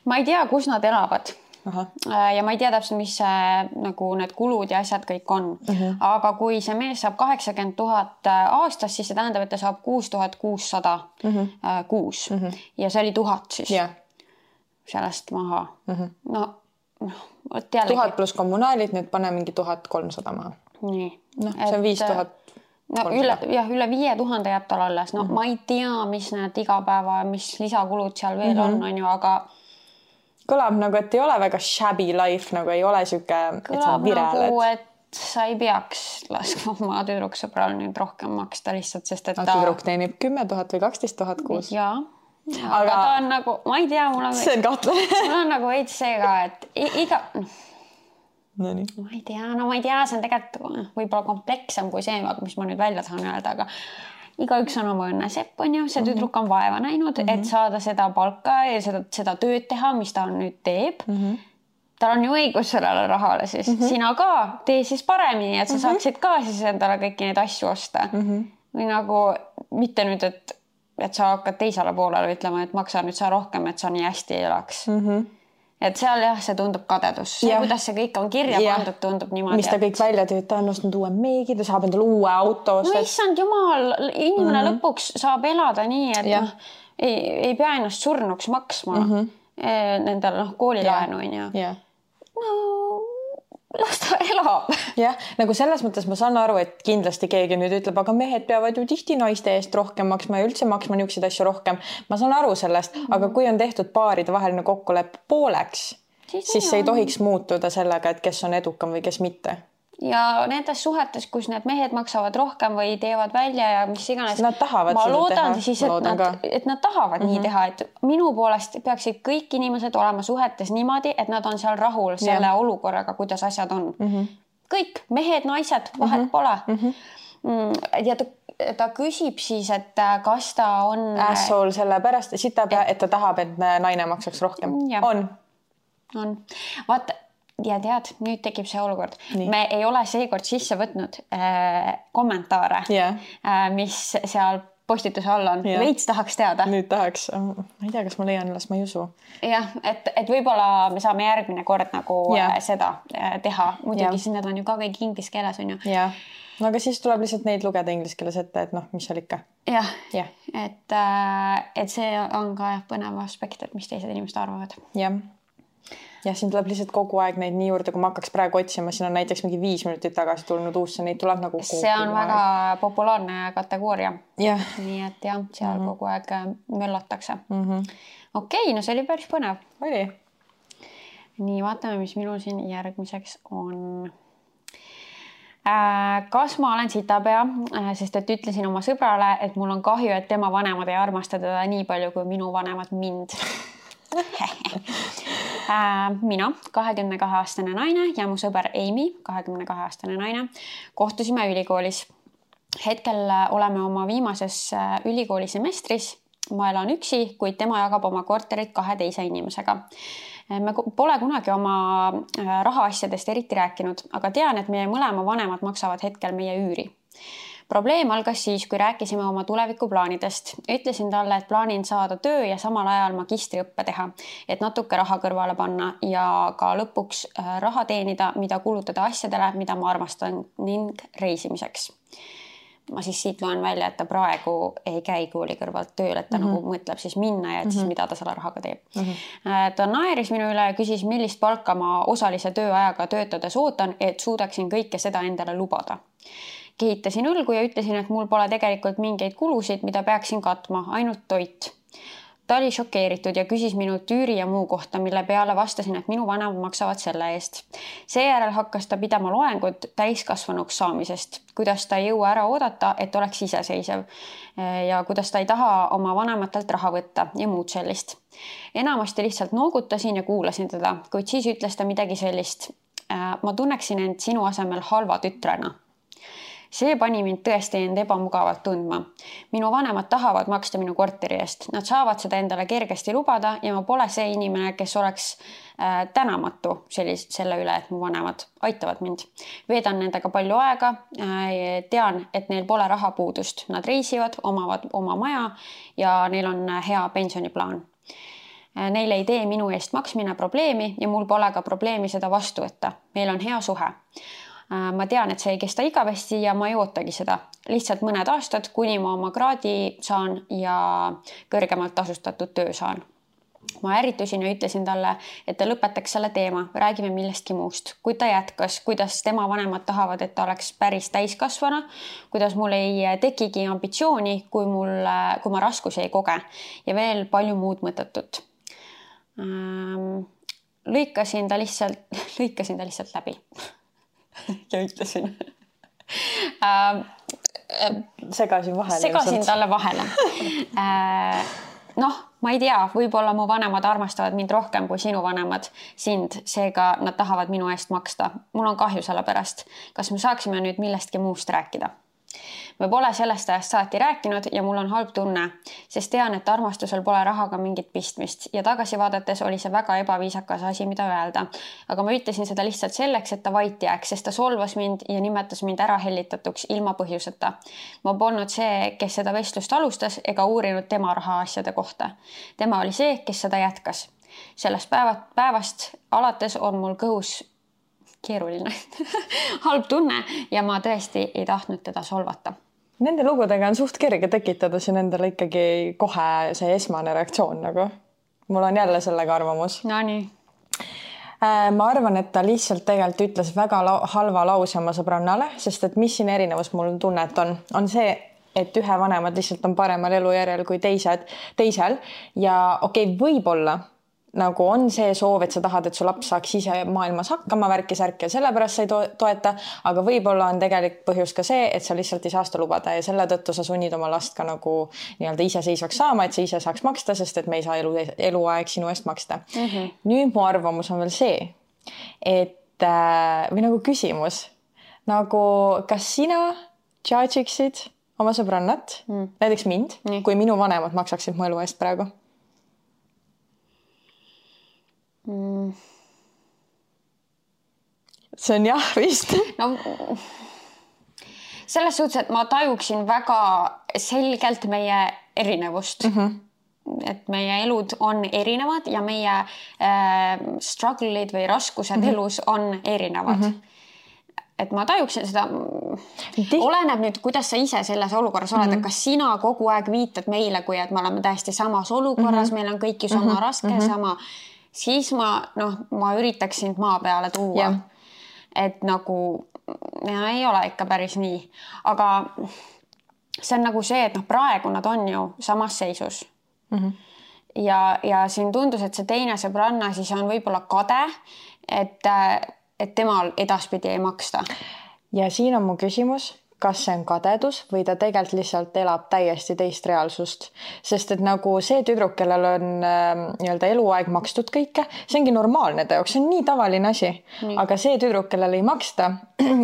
Ma ei tea, kus nad elavad. Aha. Ja ma ei tea täpselt, mis nagu need kulud ja asjad kõik on. Uh-huh. Aga kui see mees saab kaheksakümmend tuhat aastas, siis see tähendab, et ta saab kuus tuhat kuussada uh-huh. kuus. Uh-huh. Ja see oli tuhat siis. Yeah. Sellest maha. Mm-hmm. No, no, jällegi. Tuhat pluss kommunaalid, nüüd pane mingi tuhat kolmsada maha. Nii. No, see on viis tuhat. No, üle, jah, üle viie tuhande jääb tal alles. No, mm-hmm. ma ei tea, mis need igapäeva, mis lisakulud seal veel mm-hmm. on, on ju, aga... Kõlab nagu, et ei ole väga shabby life, nagu ei ole süke, et sa vireled. Nagu, et sa ei peaks laskma oma tüdruksõbral nüüd rohkem maksta lihtsalt, sest et ta... Tüdruk teenib kümme tuhat või kaksteist tuhat kuus. Jaa. Aga, aga ta on nagu, ma ei tea, mul on, see on kahtlane. Mul on nagu veits see ka, et iga, no nii. Ma ei tea, no ma ei tea, see on tegelikult võib-olla kompleksem kui see, mis ma nüüd välja saan öelda, aga igaüks on oma õnnesepp, on ju, see tüdruk on vaeva näinud, mm-hmm. et saada seda palka ja seda, seda tööd teha, mis ta nüüd teeb. Mm-hmm. Tal on ju õigus sellele rahale siis. Mm-hmm. Sina ka tee siis paremini, et sa mm-hmm. saaksid ka siis endale kõiki neid asju osta. Mm-hmm. Või nagu mitte nüüd, et et sa hakkad teisele poolele ütlema, et maksa nüüd sa rohkem, et sa nii hästi ei elaks. Mm-hmm. Et seal jah, see tundub kadedus. See, ja. Kuidas see kõik on kirja ja. Pandud, tundub niimoodi. Mis ta kõik välja tööd, ta on ostnud uue meegi, ta saab endale uue auto. No issand jumal, inimene mm-hmm. lõpuks saab elada nii, et noh, ei, ei pea ennast surnuks maksma. Mm-hmm. nendel noh, koolilaenu on ju. Yeah. No, las ta elab. Jah, nagu selles mõttes ma saan aru, et kindlasti keegi nüüd ütleb, aga mehed peavad ju tihti naiste eest rohkem maksma ja üldse maksma niisuguseid asju rohkem. Ma saan aru sellest, mm-hmm. aga kui on tehtud paaride vaheline kokkulepe pooleks, siis, siis see ei tohiks muutuda sellega, et kes on edukam või kes mitte. Ja nendes suhetes, kus need mehed maksavad rohkem või teevad välja ja mis iganes. Nad tahavad ma seda loodan teha. siis, et nad, et nad tahavad mm-hmm. nii teha, et minu poolest peaksid kõik inimesed olema suhetes niimoodi, et nad on seal rahul selle ja. olukorraga, kuidas asjad on. Mm-hmm. Kõik, mehed, naised, vahet mm-hmm. pole. Mm-hmm. Ja ta, ta küsib siis, et kas ta on... Asshole selle pärast, sitab, et... et ta tahab, et naine maksaks rohkem. Ja. On. On. Vaata, ja tead, nüüd tekib see olukord. Nii. Me ei ole seekord sisse võtnud äh, kommentaare, yeah. äh, mis seal postituse all on. Yeah. Veits tahaks teada. Nüüd tahaks. Ma ei tea, kas ma leian üles, ma ei usu. Jah, et, et võib-olla me saame järgmine kord nagu yeah. seda äh, teha. Muidugi yeah. siis need on ju ka kõik inglise keeles on ju. Yeah. No aga siis tuleb lihtsalt neid lugeda inglise keeles ette, et noh, mis seal ikka. Jah, yeah. et, äh, et see on ka põnev aspekt, et mis teised inimesed arvavad. Jah. Yeah. Ja siin tuleb lihtsalt kogu aeg neid nii juurde, kui ma hakkaks praegu otsima, siin on näiteks mingi viis minutit tagasi tulnud uus, see neid tuleb nagu kogu see on aeg. Väga populaarne kategooria. Yeah. Nii et jah, seal mm-hmm. kogu aeg möllatakse. Mm-hmm. Okei, okay, no see oli päris põnev. Oli. Nii, vaatame, mis minul siin järgmiseks on. Kas ma olen sitapea, sest et ütlesin oma sõbrale, et mul on kahju, et tema vanemad ei armasta teda nii palju, kui minu vanemad mind. Mina, kahekümne kahe aastane naine ja mu sõber Amy, kahekümne kahe aastane naine, kohtusime ülikoolis. Hetkel oleme oma viimases ülikooli semestris. Ma elan üksi, kuid tema jagab oma korterit kahe teise inimesega. Me pole kunagi oma rahaasjadest eriti rääkinud, aga tean, et meie mõlema vanemad maksavad hetkel meie üüri. Probleem algas siis, kui rääkisime oma tulevikuplaanidest. Ütlesin talle, et plaanin saada töö ja samal ajal magistriõppe teha, et natuke raha kõrvale panna ja ka lõpuks raha teenida, mida kulutada asjadele, mida ma armastan ning reisimiseks. Ma siis siit loen välja, et ta praegu ei käi kooli kõrvalt tööl, et ta mm-hmm. nagu mõtleb siis minna ja et siis mm-hmm. mida ta selle rahaga teeb. Mm-hmm. Ta naeris minu üle ja küsis, millist palka ma osalise tööajaga töötades ootan, et suudaksin kõike seda endale lubada. Kehitasin õlgu ja ütlesin, et mul pole tegelikult mingeid kulusid, mida peaksin katma, ainult toit. Ta oli šokeeritud ja küsis minu tüüri ja muu kohta, mille peale vastasin, et minu vanemad maksavad selle eest. Seejärel hakkas ta pidama loengut täiskasvanuks saamisest, kuidas ta ei jõua ära oodata, et oleks iseseisev ja kuidas ta ei taha oma vanematelt raha võtta ja muud sellist. Enamasti lihtsalt noogutasin ja kuulasin teda, kuid siis ütles ta midagi sellist. Ma tunneksin end sinu asemel halva tütrena. See pani mind tõesti end ebamugavalt tundma. Minu vanemad tahavad maksta minu korteri eest. Nad saavad seda endale kergesti lubada ja ma pole see inimene, kes oleks äh, tänamatu sellis, selle üle, et mu vanemad aitavad mind. Veedan nendega palju aega, äh, tean, et neil pole rahapuudust. Nad reisivad, omavad oma maja ja neil on hea pensioniplaan. Äh, neil ei tee minu eest maksmine probleemi ja mul pole ka probleemi seda vastu võtta. Meil on hea suhe. Ma tean, et see ei kesta igavesti ja ma ei ootagi seda. Lihtsalt mõned aastad, kuni ma oma kraadi saan ja kõrgemalt tasustatud töö saan. Ma ärritusin ja ütlesin talle, et ta lõpetaks selle teema, räägime millestki muust. Kui ta jätkas, kuidas tema vanemad tahavad, et ta oleks päris täiskasvana, kuidas mul ei tekigi ambitsiooni, kui, mul, kui ma raskusi ei koge ja veel palju muud mõttetut. Lõikasin ta lihtsalt, lõikasin ta lihtsalt läbi. Ja ütlesin. äh, segasin vahele. Segasin talle vahele. äh, noh, ma ei tea, võib-olla mu vanemad armastavad mind rohkem kui sinu vanemad sind, seega nad tahavad minu eest maksta. Mul on kahju selle pärast. Kas me saaksime nüüd millestki muust rääkida? Me pole sellest ajast saati rääkinud ja mul on halb tunne, sest tean, et armastusel pole rahaga mingit pistmist ja tagasi vaadates oli see väga ebaviisakas asi, mida öelda. Aga ma ütlesin seda lihtsalt selleks, et ta vait jääks, sest ta solvas mind ja nimetas mind ära hellitatuks ilma põhjuseta. Ma polnud see, kes seda vestlust alustas ega uurinud tema rahaasjade kohta. Tema oli see, kes seda jätkas. Sellest päevat, päevast alates on mul kõhus keeruline halb tunne ja ma tõesti ei tahtnud teda solvata. Nende lugudega on suht kerge tekitada siin endale ikkagi kohe see esmane reaktsioon nagu. mul on jälle sellega arvamus. No nii. Ma arvan, et ta lihtsalt tegelikult ütles väga la- halva lause oma sõbrannale, sest et mis siin erinevus mul tunnet on, on see, et ühe vanemad lihtsalt on paremal elujärjel kui teised, teisel ja okei, okay, võib-olla nagu on see soov, et sa tahad, et su laps saaks ise maailmas hakkama värki-särki ja sellepärast sa ei to- toeta, aga võib-olla on tegelik põhjus ka see, et sa lihtsalt ei saa seda lubada ja selle tõttu sa sunnid oma last ka nagu nii-öelda iseseisvaks saama, et sa ise saaks maksta, sest et me ei saa elu, eluaeg sinu eest maksta. Mm -hmm. Nüüd mu arvamus on veel see, et või nagu küsimus, nagu kas sina judge'iksid oma sõbrannat, mm. näiteks mind, mm. kui minu vanemad maksaksid mu elu eest praegu? Mm. See on jah vist. No, selles suhtes, et ma tajuksin väga selgelt meie erinevust. Mm -hmm. Et meie elud on erinevad ja meie äh, struggle'id või raskused mm -hmm. elus on erinevad. Mm -hmm. Et ma tajuksin seda, oleneb nüüd, kuidas sa ise selles olukorras oled, mm -hmm. kas sina kogu aeg viitad meile, kui et me oleme täiesti samas olukorras, mm -hmm. meil on kõik ju sama mm -hmm. raske mm, -hmm. sama, siis ma, noh, ma üritaksin maa peale tuua. Yeah. Et nagu ja, ei ole ikka päris nii, aga see on nagu see, et noh, praegu nad on ju samas seisus. Mm -hmm. ja, ja siin tundus, et see teine sõbranna siis on võib-olla kade, et et temal edaspidi ei maksta. Ja siin on mu küsimus, kas see on kadedus või ta tegelikult lihtsalt elab täiesti teist reaalsust. Sest et nagu see tüdruk, kellel on äh, nii-öelda eluaeg makstud kõike, see ongi normaalne ta jaoks, see on nii tavaline asi. Nii. Aga see tüdruk, kellel ei maksta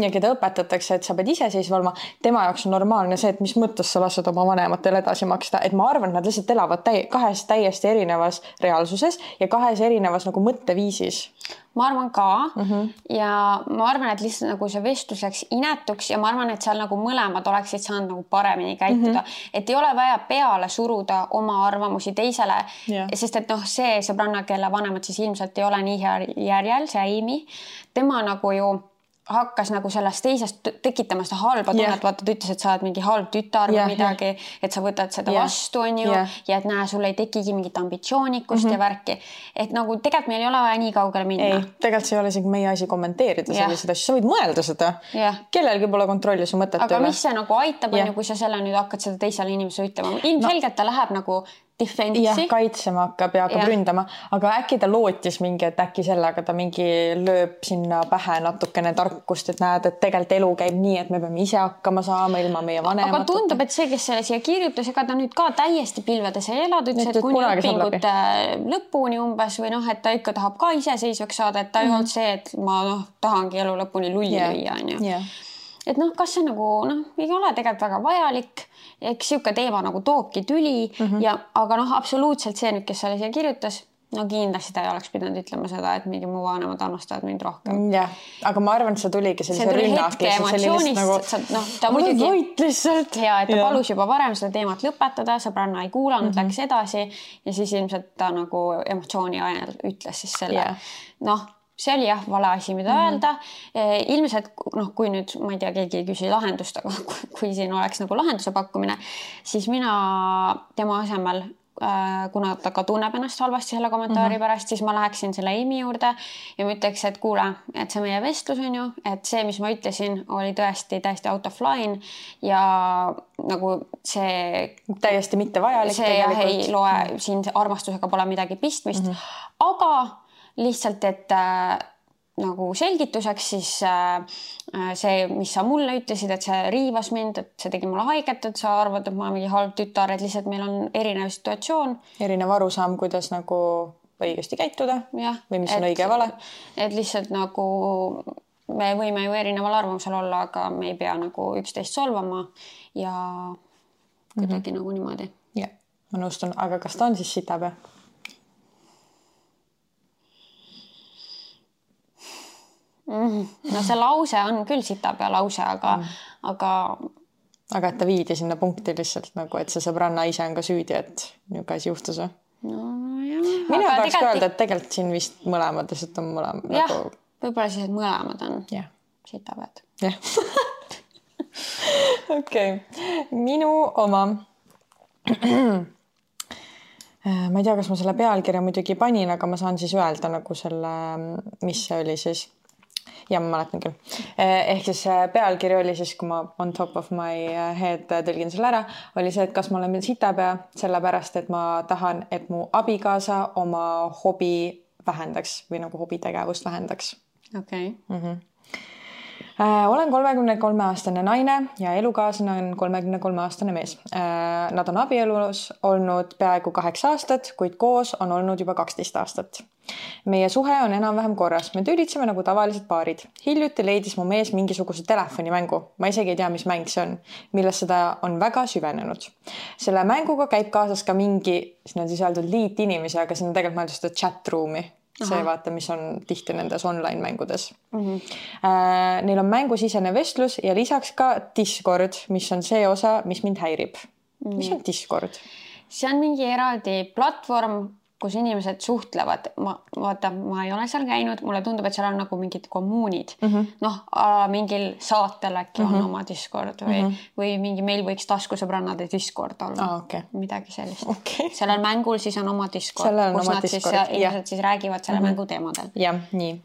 ja keda õpetatakse, et sa pead iseseisva olema, tema jaoks on normaalne see, et mis mõttes sa lased oma vanematele edasi maksta. Et ma arvan, et nad lihtsalt elavad täi- kahes täiesti erinevas reaalsuses ja kahes erinevas nagu mõtteviisis. Ma arvan ka mm -hmm. ja ma arvan, et lihtsalt nagu see vestlus läks inetuks ja ma arvan, et seal nagu mõlemad oleksid saanud nagu paremini käituda. Mm -hmm. Et ei ole vaja peale suruda oma arvamusi teisele, yeah. sest et noh, see sõbranna, kelle vanemad siis ilmselt ei ole nii hea järjel, see Amy, tema nagu ju hakkas nagu sellest teisest tekitama seda halba tunnet, yeah. vaata, ta ütles, et sa oled mingi halb tütar yeah, või midagi, yeah. et sa võtad seda yeah. vastu, on ju, yeah. ja et näe, sul ei tekigi mingit ambitsioonikust mm -hmm. ja värki. Et nagu tegelikult meil ei ole vaja nii kaugele minna. Ei, tegelikult see ei ole isegi meie asi kommenteerida yeah. sellised asju, sa võid mõelda seda. Yeah. Kellelgi pole kontrolli su mõtete üle. Aga mis see nagu aitab, yeah. on ju, kui sa selle nüüd hakkad seda teisele inimesele ütlema. Ilmselgelt no. ta läheb nagu defensi. Jah, kaitsema hakkab ja hakkab ja. ründama, aga äkki ta lootis mingi, et äkki sellega ta mingi lööb sinna pähe natukene tarkust, et näed, et tegelikult elu käib nii, et me peame ise hakkama saama ilma meie vanemat. Aga tundub, et see, kes selle siia kirjutas, ega ta nüüd ka täiesti pilvedes ei elad, ütles, et kuni õpingud lõpuni umbes või noh, et ta ikka tahab ka iseseisvaks saada, et ta ei mm -hmm. olnud see, et ma noh, tahangi elu lõpuni lulli yeah. lüüa, on ju. Yeah. Et noh, kas see nagu, noh, ei ole tegelikult väga vajalik. Eks siuke teema nagu toobki tüli mm -hmm. ja, aga noh, absoluutselt see nüüd, kes selle siia kirjutas, no kindlasti ta ei oleks pidanud ütlema seda, et mingi mu vanemad armastavad mind rohkem. Jah, aga ma arvan, et see tuligi sellise rünnak. See tuli hetke emotsioonist, no, ta muidugi võit lihtsalt. Ja, et ta ja. palus juba varem seda teemat lõpetada, sõbranna ei kuulanud, mm -hmm. läks edasi ja siis ilmselt ta nagu emotsiooni ajal ütles siis selle. Yeah. Noh, see oli jah, vale asi, mida mm -hmm. öelda. Ilmselt, noh, kui nüüd, ma ei tea, keegi ei küsi lahendust, aga kui, kui siin oleks nagu lahenduse pakkumine, siis mina tema asemel, kuna ta ka tunneb ennast halvasti selle kommentaari mm -hmm. pärast, siis ma läheksin selle Amy juurde ja ma ütleks, et kuule, et see meie vestlus on ju, et see, mis ma ütlesin, oli tõesti täiesti out of line ja nagu see täiesti mitte vajalik. See jah, ei loe, siin armastusega pole midagi pistmist, mm -hmm. aga lihtsalt, et äh, nagu selgituseks siis äh, see, mis sa mulle ütlesid, et see riivas mind, et see tegi mulle haiget, et sa arvad, et ma olen mingi halb tütar, et lihtsalt meil on erinev situatsioon. Erinev arusaam, kuidas nagu õigesti käituda ja, või mis et, on õige ja vale. Et lihtsalt nagu me võime ju erineval arvamusel olla, aga me ei pea nagu üksteist solvama ja kuidagi mm -hmm. nagu niimoodi. Jah, ma nõustun, aga kas ta on siis sitapea? Mm. No see lause on küll sitapea lause, aga, mm. aga... Aga et ta viidi sinna punkti lihtsalt nagu, et see sõbranna ise on ka süüdi, et niuke asi juhtus või? No jah. Mina tahaks tegelikult... öelda, et tegelikult siin vist mõlemad lihtsalt on mõlemad. Jah, nagu... võib-olla siis, et mõlemad on yeah. sitapead. Jah. Okei. Minu oma... ma ei tea, kas ma selle pealkirja muidugi panin, aga ma saan siis öelda nagu selle, mis see oli siis. Ja ma mäletan küll. Ehk siis pealkiri oli siis, kui ma on top of my head tõlgin selle ära, oli see, et kas ma olen sitapea sellepärast, et ma tahan, et mu abikaasa oma hobi vähendaks või nagu hobitegevust vähendaks. Okei. Okay. Mm-hmm. Olen kolmekümne kolme aastane naine ja elukaaslane on kolmekümne kolme aastane mees. Nad on abielus olnud peaaegu kaheksa aastat, kuid koos on olnud juba kaksteist aastat. Meie suhe on enam-vähem korras. Me tülitseme nagu tavalised paarid. Hiljuti leidis mu mees mingisuguse telefonimängu. Ma isegi ei tea, mis mäng see on, millest seda on väga süvenenud. Selle mänguga käib kaasas ka mingi, siin on siis öeldud liit inimesi, aga siin on tegelikult mõeldud seda chat-ruumi. See Aha. vaata, mis on tihti nendes online mängudes. Mm-hmm. Äh, neil on mängusisene vestlus ja lisaks ka Discord, mis on see osa, mis mind häirib. Mm-hmm. Mis on Discord? See on mingi eraldi platvorm, kus inimesed suhtlevad. Ma, vaata, ma ei ole seal käinud. Mulle tundub, et seal on nagu mingid kommuunid. Mm-hmm. Noh, mingil saatel äkki mm-hmm. on oma Discord või, mm-hmm. või mingi meil võiks taskusõbrannade Discord olla. Ah, okay. Midagi sellist. Okay. Sellel mängul siis on oma Discord, on kus oma nad Discord. siis, inimesed siis räägivad selle mm-hmm. mängu teemadel. Jah, nii.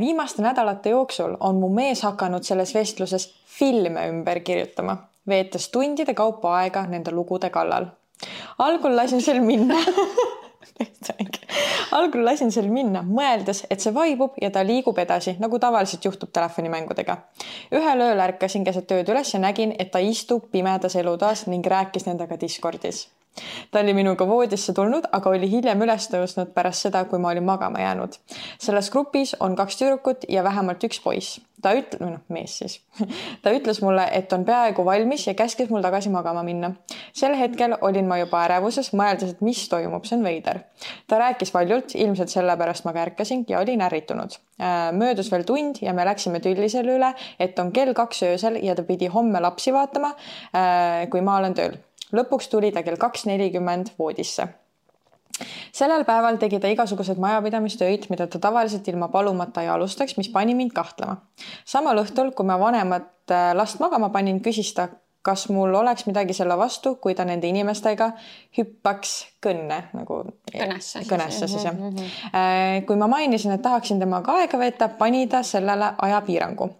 Viimaste nädalate jooksul on mu mees hakanud selles vestluses filme ümber kirjutama, veetes tundide kaupa aega nende lugude kallal. Algul lasin sel minna. Algul lasin sel minna, mõeldes, et see vaibub ja ta liigub edasi, nagu tavaliselt juhtub telefonimängudega. Ühel ööl ärkasin keset tööd üles ja nägin, et ta istub pimedas elutoas ning rääkis nendega Discordis. Ta oli minuga voodisse tulnud, aga oli hiljem üles tõusnud pärast seda, kui ma olin magama jäänud. Selles grupis on kaks tüdrukut ja vähemalt üks poiss. Ta ütles, või noh, mees siis. Ta ütles mulle, et on peaaegu valmis ja käskis mul tagasi magama minna. Sel hetkel olin ma juba ärevuses, mõeldes, et mis toimub, see on veider. Ta rääkis valjult, ilmselt sellepärast ma kärkasin ja olin ärritunud. Möödus veel tund ja me läksime tüllisele üle, et on kell kaks öösel ja ta pidi homme lapsi vaatama, kui ma olen tööl. Lõpuks tuli ta kell kaks nelikümmend voodisse. Sellel päeval tegi ta igasugused majapidamistöid, mida ta tavaliselt ilma palumata ei alustaks, mis pani mind kahtlema. Samal õhtul, kui ma vanemat last magama panin, küsis ta, kas mul oleks midagi selle vastu, kui ta nende inimestega hüppaks kõnne, nagu kõnesse, kõnesse siis, jah. Mm-hmm. Kui ma mainisin, et tahaksin temaga aega veeta, pani ta sellele ajapiirangu.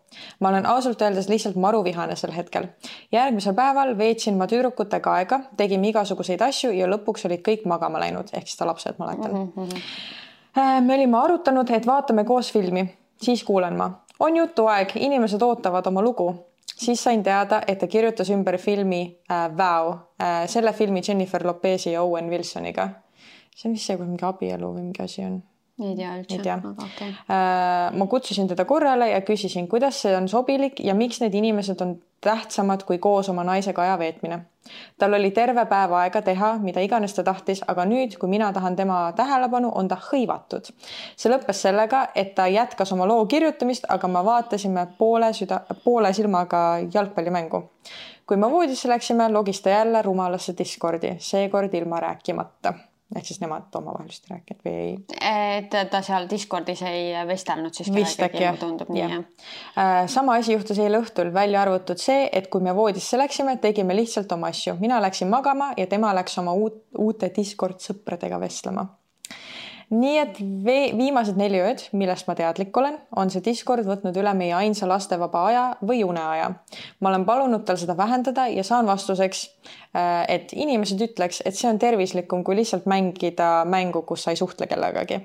Ma olen ausalt öeldes lihtsalt maruvihane sel hetkel. Järgmisel päeval veetsin ma tüdrukutega aega, tegime igasuguseid asju ja lõpuks olid kõik magama läinud, ehk siis ta lapsed, ma mäletan. Mm-hmm. Me olime arutanud, et vaatame koos filmi. Siis kuulen ma. On jutuaeg, inimesed ootavad oma lugu. Siis sain teada, et ta kirjutas ümber filmi äh, Vow, äh, selle filmi Jennifer Lopezi ja Owen Wilsoniga. See on vist see, kui mingi abielu või mingi asi on. Ei tea üldse. Ei tea. Okay. Äh, ma kutsusin teda korrale ja küsisin, kuidas see on sobilik ja miks need inimesed on tähtsamad kui koos oma naisega aja veetmine. Tal oli terve päev aega teha, mida iganes ta tahtis, aga nüüd, kui mina tahan tema tähelepanu, on ta hõivatud. See lõppes sellega, et ta jätkas oma loo kirjutamist, aga ma vaatasime poole, süda, poole silmaga jalgpallimängu. Kui ma voodisse läksime, logis ta jälle rumalasse Discordi, seekord ilma rääkimata. Ehk siis nemad omavahel just rääkinud või ei? Et ta seal Discordis ei vestelnud siis kellegagi, tundub nii. Ja. Sama asi juhtus eile õhtul, välja arvutud see, et kui me voodisse läksime, tegime lihtsalt oma asju. Mina läksin magama ja tema läks oma uut, uute Discord sõpradega vestlema. Nii et viimased neli ööd, millest ma teadlik olen, on see Discord võtnud üle meie ainsa lastevaba aja või uneaja. Ma olen palunud tal seda vähendada ja saan vastuseks, et inimesed ütleks, et see on tervislikum, kui lihtsalt mängida mängu, kus sa ei suhtle kellegagi.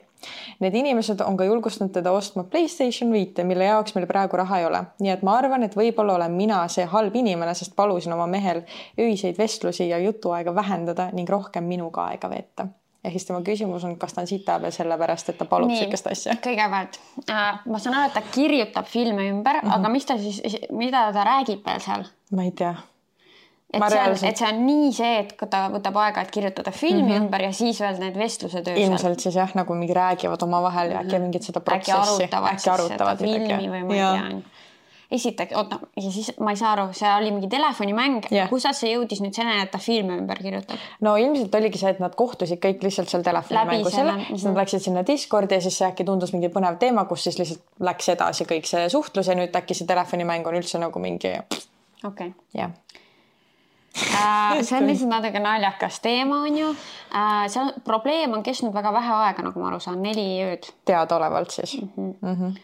Need inimesed on ka julgustanud teda ostma PlayStation viite, mille jaoks meil praegu raha ei ole. Nii et ma arvan, et võib-olla olen mina see halb inimene, sest palusin oma mehel öiseid vestlusi ja jutuaega vähendada ning rohkem minuga aega veeta. Ehk siis tema küsimus on, kas ta on sitapea sellepärast, et ta palub sükast asja. Kõigepealt, ma saan aru, et ta kirjutab filme ümber, mm-hmm. aga mis ta siis, mida ta räägib veel seal? Ma ei tea. Et see, on, et see on nii see, et ta võtab aega, et kirjutada filmi mm-hmm. ümber ja siis veel need vestluse töö Ilmselt seal. Siis jah, nagu mingi räägivad oma vahel ja äkki mingid seda protsessi. Äkki arutavad, äkki arutavad seda filmi või ma ei tea. Esiteks, oota, ja siis ma ei saa aru, see oli mingi telefonimäng, yeah. Kuidas see jõudis nüüd selle, et ta filmi ümber kirjutab? No ilmselt oligi see, et nad kohtusid kõik lihtsalt seal telefonimängu selle, siis nad läksid sinna Discordi ja siis see äkki tundus mingi põnev teema, kus siis lihtsalt läks edasi kõik see suhtlus ja nüüd äkki see telefonimäng on üldse nagu mingi... Okay. Yeah. äh, see on lihtsalt natuke naljakas teema, on ju. Äh, see on, probleem on kestnud väga vähe aega, nagu ma aru saan, neli ööd. Teadaolevalt siis. Mm -hmm. Mm -hmm.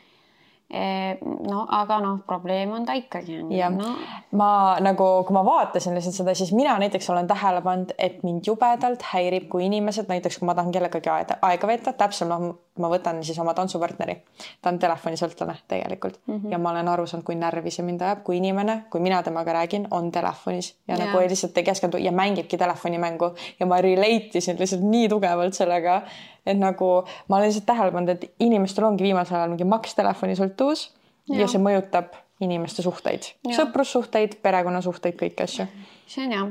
No aga noh, probleem on ta ikkagi. No. Ma nagu, kui ma vaatasin lihtsalt seda, siis mina näiteks olen tähele pannud, et mind jubedalt häirib, kui inimesed, näiteks kui ma tahan kellegagi aega, aega veeta, täpselt ma, ma võtan siis oma tantsupartneri. Ta on telefonisõltlane tegelikult mm -hmm. ja ma olen aru saanud, kui närvi see mind ajab, kui inimene, kui mina temaga räägin, on telefonis ja, ja. nagu ei lihtsalt ei keskendu ja mängibki telefonimängu ja ma relate isin lihtsalt nii tugevalt sellega, et nagu ma olen lihtsalt tähele pannud, et inimestel ongi viimasel ajal mingi makstelefoni sõltuvus ja. ja see mõjutab inimeste suhteid, sõprussuhteid, perekonnasuhteid, kõiki asju. See on jah.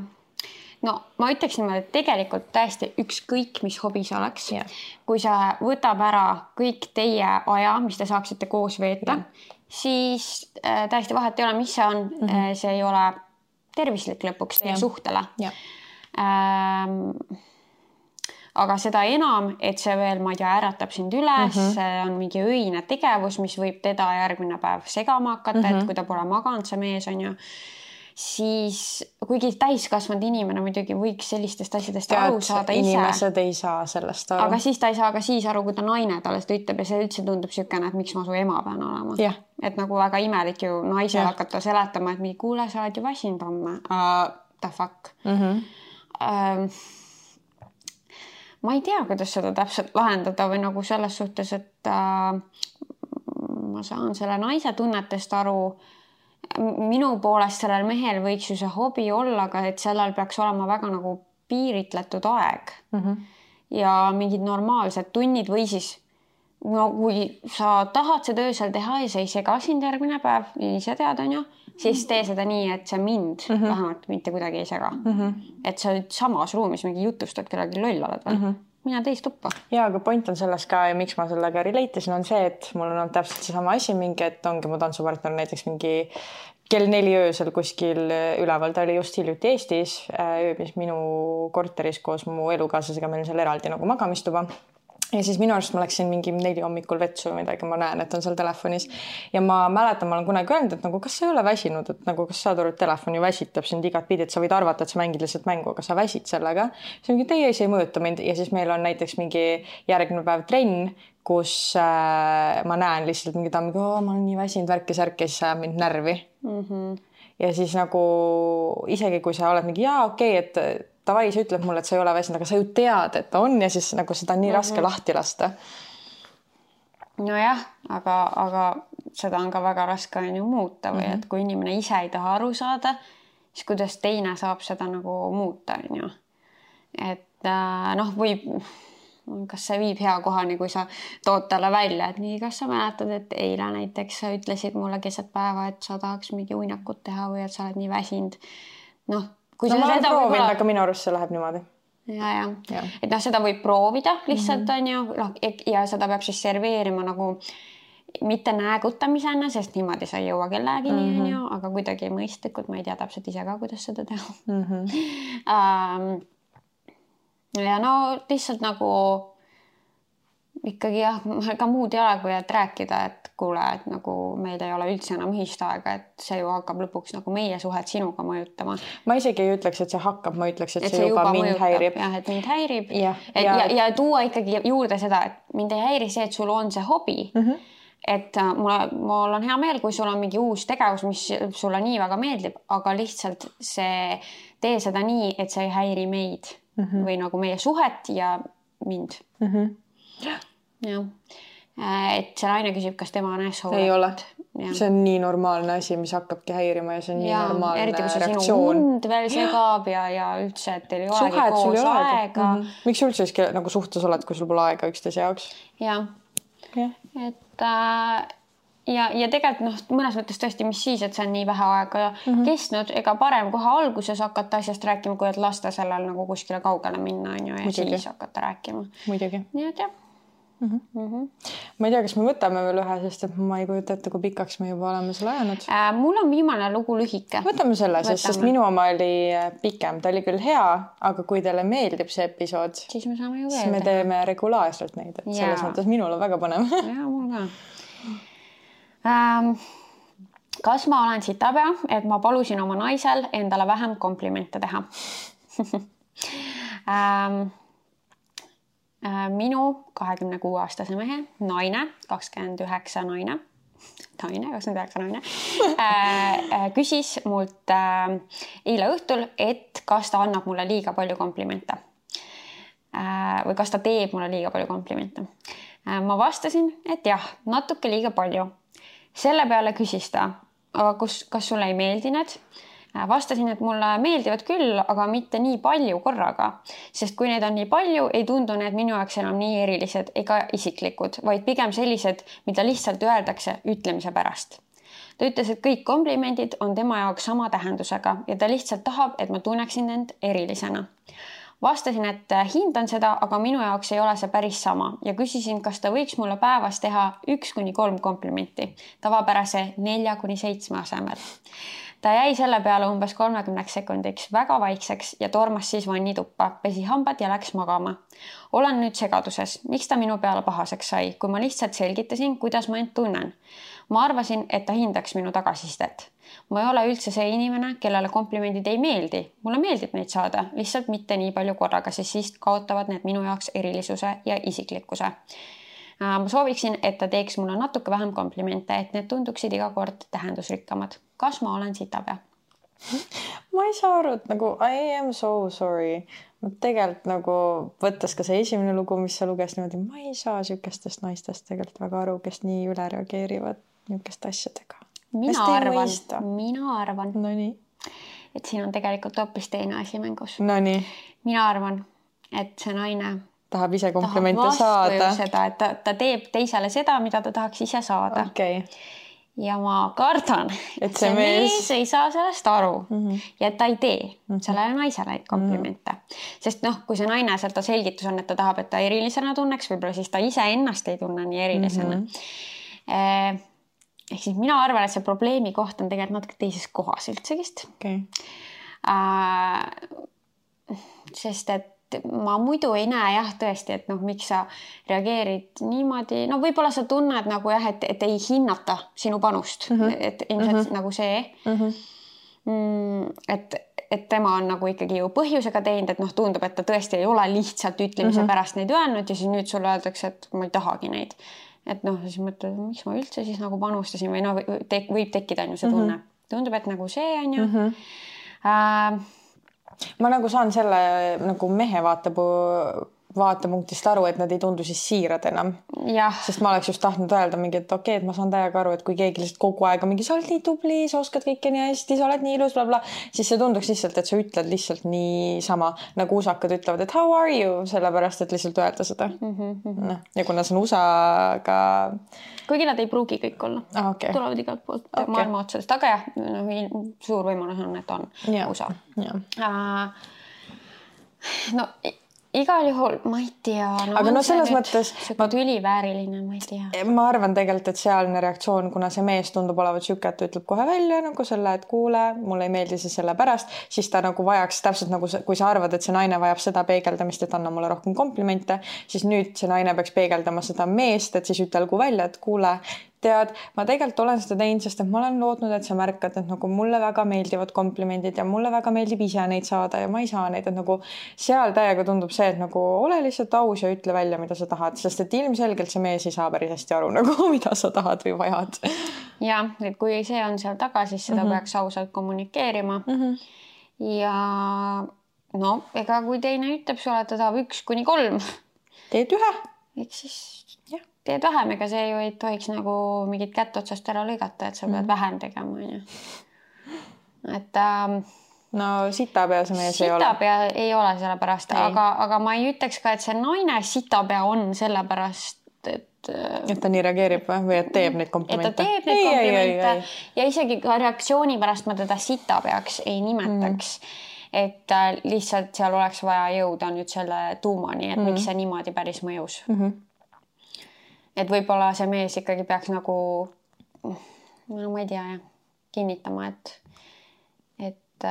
No ma ütleks niimoodi, et tegelikult täiesti ükskõik, mis hobi see oleks. Ja. Kui sa võtab ära kõik teie aja, mis te saaksite koos veeta, ja. siis äh, täiesti vahet ei ole, mis see on. Mm -hmm. See ei ole tervislik lõpuks teie ja. suhtele. Ja. Ähm, aga seda enam, et see veel, ma ei tea, äratab sind üles, mm -hmm. on mingi öine tegevus, mis võib teda järgmine päev segama hakata, mm -hmm. et kui ta pole maganud, see mees on ju, siis kuigi täiskasvanud inimene muidugi võiks sellistest asjadest Tead, aru saada ise. Inimesed ei saa sellest aru. Aga siis ta ei saa ka siis aru, kui ta naine talle seda ütleb ja see üldse tundub sükene, et miks ma su ema pean olema. Yeah. Et nagu väga imelik ju naise yeah. hakata seletama, et mingi kuule, sa oled ju väsinud homme. Uh, the fuck. Mm -hmm. uh, ma ei tea, kuidas seda täpselt lahendada või nagu selles suhtes, et uh, ma saan selle naise tunnetest aru. Minu poolest sellel mehel võiks ju see hobi olla, aga et sellel peaks olema väga nagu piiritletud aeg mm -hmm. ja mingid normaalsed tunnid või siis no kui sa tahad seda öösel teha ja sa ei sega sind järgmine päev, ise tead on ju, siis tee seda nii, et see mind mm -hmm. vähemalt mitte kuidagi ei sega. Mm -hmm. Et sa oled samas ruumis mingi jutustad kellegi loll oled või? Mm -hmm. Mina teist tuppa. Ja, aga point on selles ka ja miks ma sellega relate'isin on see, et mul on olnud täpselt seesama asi mingi, et ongi mu tantsupartner näiteks mingi kell neli öösel kuskil üleval, ta oli just hiljuti Eestis, ööbis minu korteris koos mu elukaaslasega, meil on seal eraldi nagu magamistuba. Ja siis minu arust ma läksin mingi neli hommikul vetsu või midagi, ma näen, et on seal telefonis. Ja ma mäletan, ma olen kunagi öelnud, et nagu kas sa ei ole väsinud, et nagu kas saad aru, et telefon ju väsitab sind igat pidi, et sa võid arvata, et sa mängid lihtsalt mängu, aga sa väsid sellega. See ongi teie see ei mõjuta mind ja siis meil on näiteks mingi järgmine päev trenn, kus äh, ma näen lihtsalt mingi ta mingi, oh, ma olen nii väsinud värki särki ja siis ajab mind närvi. Mm -hmm. Ja siis nagu isegi kui sa oled mingi jaa, okei, okay, et tavai, sa ütleb mulle, et sa ei ole väsinud, aga sa ju tead, et ta on ja siis nagu seda on nii mm -hmm. raske lahti lasta. Nojah, aga, aga seda on ka väga raske on ju muuta või mm -hmm. et kui inimene ise ei taha aru saada, siis kuidas teine saab seda nagu muuta, on ju. Et noh, võib, kas see viib hea kohani, kui sa tood talle välja, et nii, kas sa mäletad, et eile näiteks sa ütlesid mulle keset päeva, et sa tahaks mingi uinakut teha või et sa oled nii väsinud. Noh, kui no ma olen proovinud, võib... aga minu arust see läheb niimoodi. Ja, ja. ja. Et noh, seda võib proovida lihtsalt mm -hmm. on ju ja seda peab siis serveerima nagu mitte näägutamisena, sest niimoodi sa ei jõua kellegi mm -hmm. on ju, aga kuidagi mõistlikult, ma ei tea täpselt ise ka, kuidas seda teha. Mm -hmm. um, ja no lihtsalt nagu ikkagi jah, ka muud ei ole, kui et rääkida, et kuule, et nagu meil ei ole üldse enam ühist aega, et see ju hakkab lõpuks nagu meie suhet sinuga mõjutama. Ma isegi ei ütleks, et see hakkab, ma ütleks, et, et see, see juba, juba mind mõjutab, häirib. Jah, et mind häirib. Ja, et, ja, ja, ja tuua ikkagi juurde seda, et mind ei häiri see, et sul on see hobi. Mm -hmm. Et mulle, mul on hea meel, kui sul on mingi uus tegevus, mis sulle nii väga meeldib, aga lihtsalt see, tee seda nii, et see ei häiri meid mm -hmm. või nagu meie suhet ja mind. Mm -hmm. jah, et see naine küsib, kas tema on asshole. Ei ole. Ja. See on nii normaalne asi, mis hakkabki häirima ja see on ja, nii normaalne eriti, kui reaktsioon. Sinu hund veel segab ja, ja üldse, et teil ei olegi koos ei ole aega. Mm -hmm. Miks sa üldse siis nagu suhtes oled, kui sul pole aega üksteise jaoks? Ja, ja. Et äh, ja, ja tegelikult noh, mõnes mõttes tõesti, mis siis, et see on nii vähe aega mm -hmm. kestnud, ega parem kohe alguses hakata asjast rääkima, kui et lasta sellel nagu kuskile kaugele minna on ju, ja Muidugi. Siis hakata rääkima. Muidugi. Nii et jah. Mm-hmm. Mm-hmm. Ma ei tea, kas me võtame veel ühe, sest et ma ei kujuta ette, kui pikaks me juba oleme selle ajanud. Äh, mul on viimane lugu lühike. Võtame selle, sest, sest minu oma oli pikem. Ta oli küll hea, aga kui teile meeldib see episood, siis me saame ju veel siis me teeme regulaarselt neid. Et selles mõttes minul on väga põnev. Ja, mul ka. Ähm, kas ma olen sitapea, et ma palusin oma naisel endale vähem komplimente teha? ähm, minu kahekümne kuue aastase mehe naine, kakskümmend üheksa naine, naine, kakskümmend üheksa naine, äh, küsis mult äh, eile õhtul, et kas ta annab mulle liiga palju komplimente äh, või kas ta teeb mulle liiga palju komplimente. Äh, ma vastasin, et jah, natuke liiga palju. Selle peale küsis ta, aga kus, kas sulle ei meeldi need? Vastasin, et mulle meeldivad küll, aga mitte nii palju korraga, sest kui neid on nii palju, ei tundu need minu jaoks enam nii erilised ega isiklikud, vaid pigem sellised, mida lihtsalt öeldakse ütlemise pärast. Ta ütles, et kõik komplimendid on tema jaoks sama tähendusega ja ta lihtsalt tahab, et ma tunneksin end erilisena. Vastasin, et hindan seda, aga minu jaoks ei ole see päris sama ja küsisin, kas ta võiks mulle päevas teha üks kuni kolm komplimenti, tavapärase nelja kuni seitsme asemel. Ta jäi selle peale umbes kolmekümneks sekundiks väga vaikseks ja tormas siis vannituppa, pesi hambad ja läks magama. Olen nüüd segaduses, miks ta minu peale pahaseks sai, kui ma lihtsalt selgitasin, kuidas ma end tunnen. Ma arvasin, et ta hindaks minu tagasisidet. Ma ei ole üldse see inimene, kellele komplimendid ei meeldi. Mulle meeldib neid saada, lihtsalt mitte nii palju korraga, sest siis kaotavad need minu jaoks erilisuse ja isiklikkuse. Ma sooviksin, et ta teeks mulle natuke vähem komplimente, et need tunduksid iga kord tähendusrikkamad. Kas ma olen sitapea? Ma ei saa aru, et nagu I am so sorry. Ma tegelikult nagu võttes ka see esimene lugu, mis sa luges niimoodi, ma ei saa sükestest naistest tegelikult väga aru, kes nii üle reageerivad niukeste asjadega. Mina arvan, mina arvan, no nii. et siin on tegelikult hoopis teine asi mängus. No nii. Mina arvan, et see naine tahab ise komplimente saada. Seda, et ta, ta teeb teisele seda, mida ta tahaks ise saada. Okay. Ja ma kardan, et see, see mees... mees ei saa sellest aru mm -hmm. ja et ta ei tee mm -hmm. sellele naisele komplimente. Mm -hmm. Sest noh, kui see naine sealt ta selgitus on, et ta tahab, et ta erilisena tunneks, võib-olla siis ta ise ennast ei tunne nii erilisena. Mm -hmm. Ehk siis mina arvan, et see probleemi koht on tegelikult natuke teises kohas üldsegist. Okay. Äh, sest et ma muidu ei näe jah tõesti, et noh, miks sa reageerid niimoodi, no võib-olla sa tunned nagu jah, et, et ei hinnata sinu panust, mm -hmm. et ilmselt mm -hmm. nagu see, mm -hmm. et, et tema on nagu ikkagi ju põhjusega teinud, et noh, tundub, et ta tõesti ei ole lihtsalt ütlemise mm -hmm. pärast neid öelnud ja siis nüüd sulle öeldakse, et ma ei tahagi neid. Et noh, siis mõtled, miks ma üldse siis nagu panustasin või noh, te, võib tekkida on ju see tunne. Mm -hmm. Tundub, et nagu see on ju. Mm -hmm. äh, ma nagu saan selle nagu mehe vaatepuu, vaatepunktist aru, et nad ei tundu siis siirad enam. Sest ma oleks just tahtnud öelda mingi, et okei, et ma saan täiega aru, et kui keegi lihtsalt kogu aega mingi, sa oled nii tubli, sa oskad kõike nii hästi, sa oled nii ilus, bla bla, siis see tunduks lihtsalt, et sa ütled lihtsalt nii sama, nagu usakad ütlevad, et how are you, sellepärast, et lihtsalt öelda seda. Mm -hmm. no, ja kuna see on U S A-ga... Kuigi nad ei pruugi kõik olla. Ah, okay. Tulevad igalt poolt okay. maailma otsadest, aga jah, no, suur võimalus on, et on ja. U S A. Ja. Uh, no... Igal juhul, ma ei tea. No aga no selles mõttes... Ma ülivääriline, ma ei tea. Ma arvan tegelikult, et sealne reaktsioon, kuna see mees tundub olevat süke, et ta ütleb kohe välja nagu selle, et kuule, mulle ei meeldi see selle pärast, siis ta nagu vajaks täpselt nagu, kui sa arvad, et see naine vajab seda peegeldamist, et anna mulle rohkem komplimente, siis nüüd see naine peaks peegeldama seda meest, et siis ütelgu välja, et kuule, tead, ma tegelikult olen seda teinud, sest et ma olen lootnud, et sa märkad, et nagu mulle väga meeldivad komplimendid ja mulle väga meeldib ise neid saada ja ma ei saa neid, et nagu seal täiega tundub see, et nagu ole lihtsalt aus ja ütle välja, mida sa tahad, sest et ilmselgelt see mees ei saa päris hästi aru nagu, mida sa tahad või vajad. Ja, et kui see on seal taga, siis seda mm -hmm. peaks ausalt kommunikeerima. Mm -hmm. Ja no, ega kui teine ütleb sulle, et ta tahab üks kuni kolm. Teed ühe. Eks siis jah. Teed vähem, ega see ju ei tohiks nagu mingit kätt otsast ära lõigata, et sa pead mm -hmm. vähem tegema. Et ähm, no sitapea see mees ei ole. Sitapea ei ole sellepärast, aga, aga ma ei ütleks ka, et see naine sitapea on sellepärast, et et ta nii reageerib või et teeb neid komplimente. Et ta teeb neid ei, komplimente ei, ei, ei. Ja isegi ka reaktsiooni pärast ma teda sitapeaks ei nimetaks. Mm. Et lihtsalt seal oleks vaja jõuda nüüd selle tuumani, et mm. miks see niimoodi päris mõjus. Mm -hmm. Et võib-olla see mees ikkagi peaks nagu, no ma ei tea, jah, kinnitama, et, et,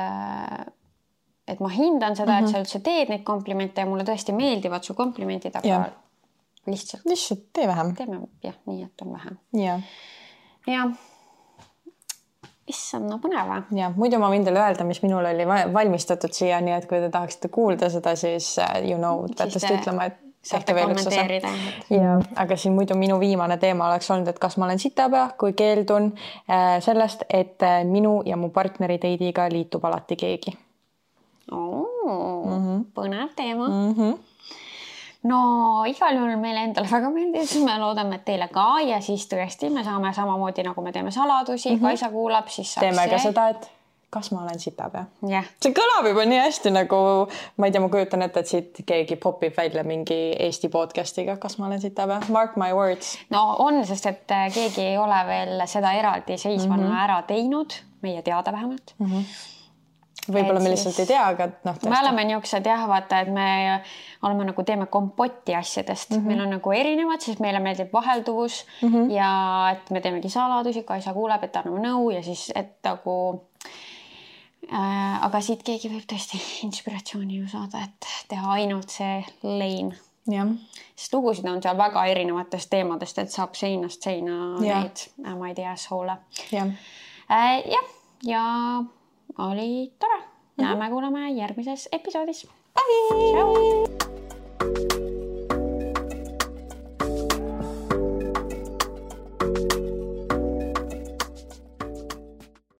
et ma hindan seda, mm-hmm. et sa üldse teed neid komplimente ja mulle tõesti meeldivad su komplimentid, aga ja. lihtsalt. Lihtsalt tee vähem. Teeme jah, nii, et on vähem. Ja. Ja. issand, no põneva. Ja muidu ma võin teile öelda, mis minul oli valmistatud siia, nii et kui te tahaksite kuulda seda, siis you know, peate seda ütlema, et saate kommenteerida. Ja, aga siin muidu minu viimane teema oleks olnud, et kas ma olen sitapea, kui keeldun sellest, et minu ja mu partneri teidiga liitub alati keegi. Oo, mm-hmm. Põnev teema. Mm-hmm. No igal juhul meile endale väga meeldis, me loodame, et teile ka ja siis tõesti me saame samamoodi, nagu me teeme saladusi, mm-hmm. Kaisa kuulab, siis saab teeme see. Ka seda, et kas ma olen sitapea. Yeah. See kõlab juba nii hästi nagu, ma ei tea, ma kujutan ette, et siit keegi popib välja mingi Eesti podcastiga, kas ma olen sitapea. Mark my words. No on, sest et keegi ei ole veel seda eraldi seisvana mm-hmm. ära teinud, meie teada vähemalt. Mm-hmm. Võib-olla me lihtsalt ei tea, aga noh. Me oleme niisugused jah, vaata, et me oleme nagu teeme kompotti asjadest. Mm-hmm. Meil on nagu erinevad, siis meile meeldib vahelduvus mm-hmm. ja et me teemegi saladusi, Kaisa kuuleb, et anname nõu ja siis, et nagu äh, aga siit keegi võib tõesti inspiratsiooni ju saada, et teha ainult see lein. Ja. Sest lugusid on seal väga erinevatest teemadest, et saab seinast seina ja. Neid, ma ei tea, soole. Ja. Äh, ja, ja oli tore. Näeme, kuuleme järgmises episoodis. Bye! Ciao!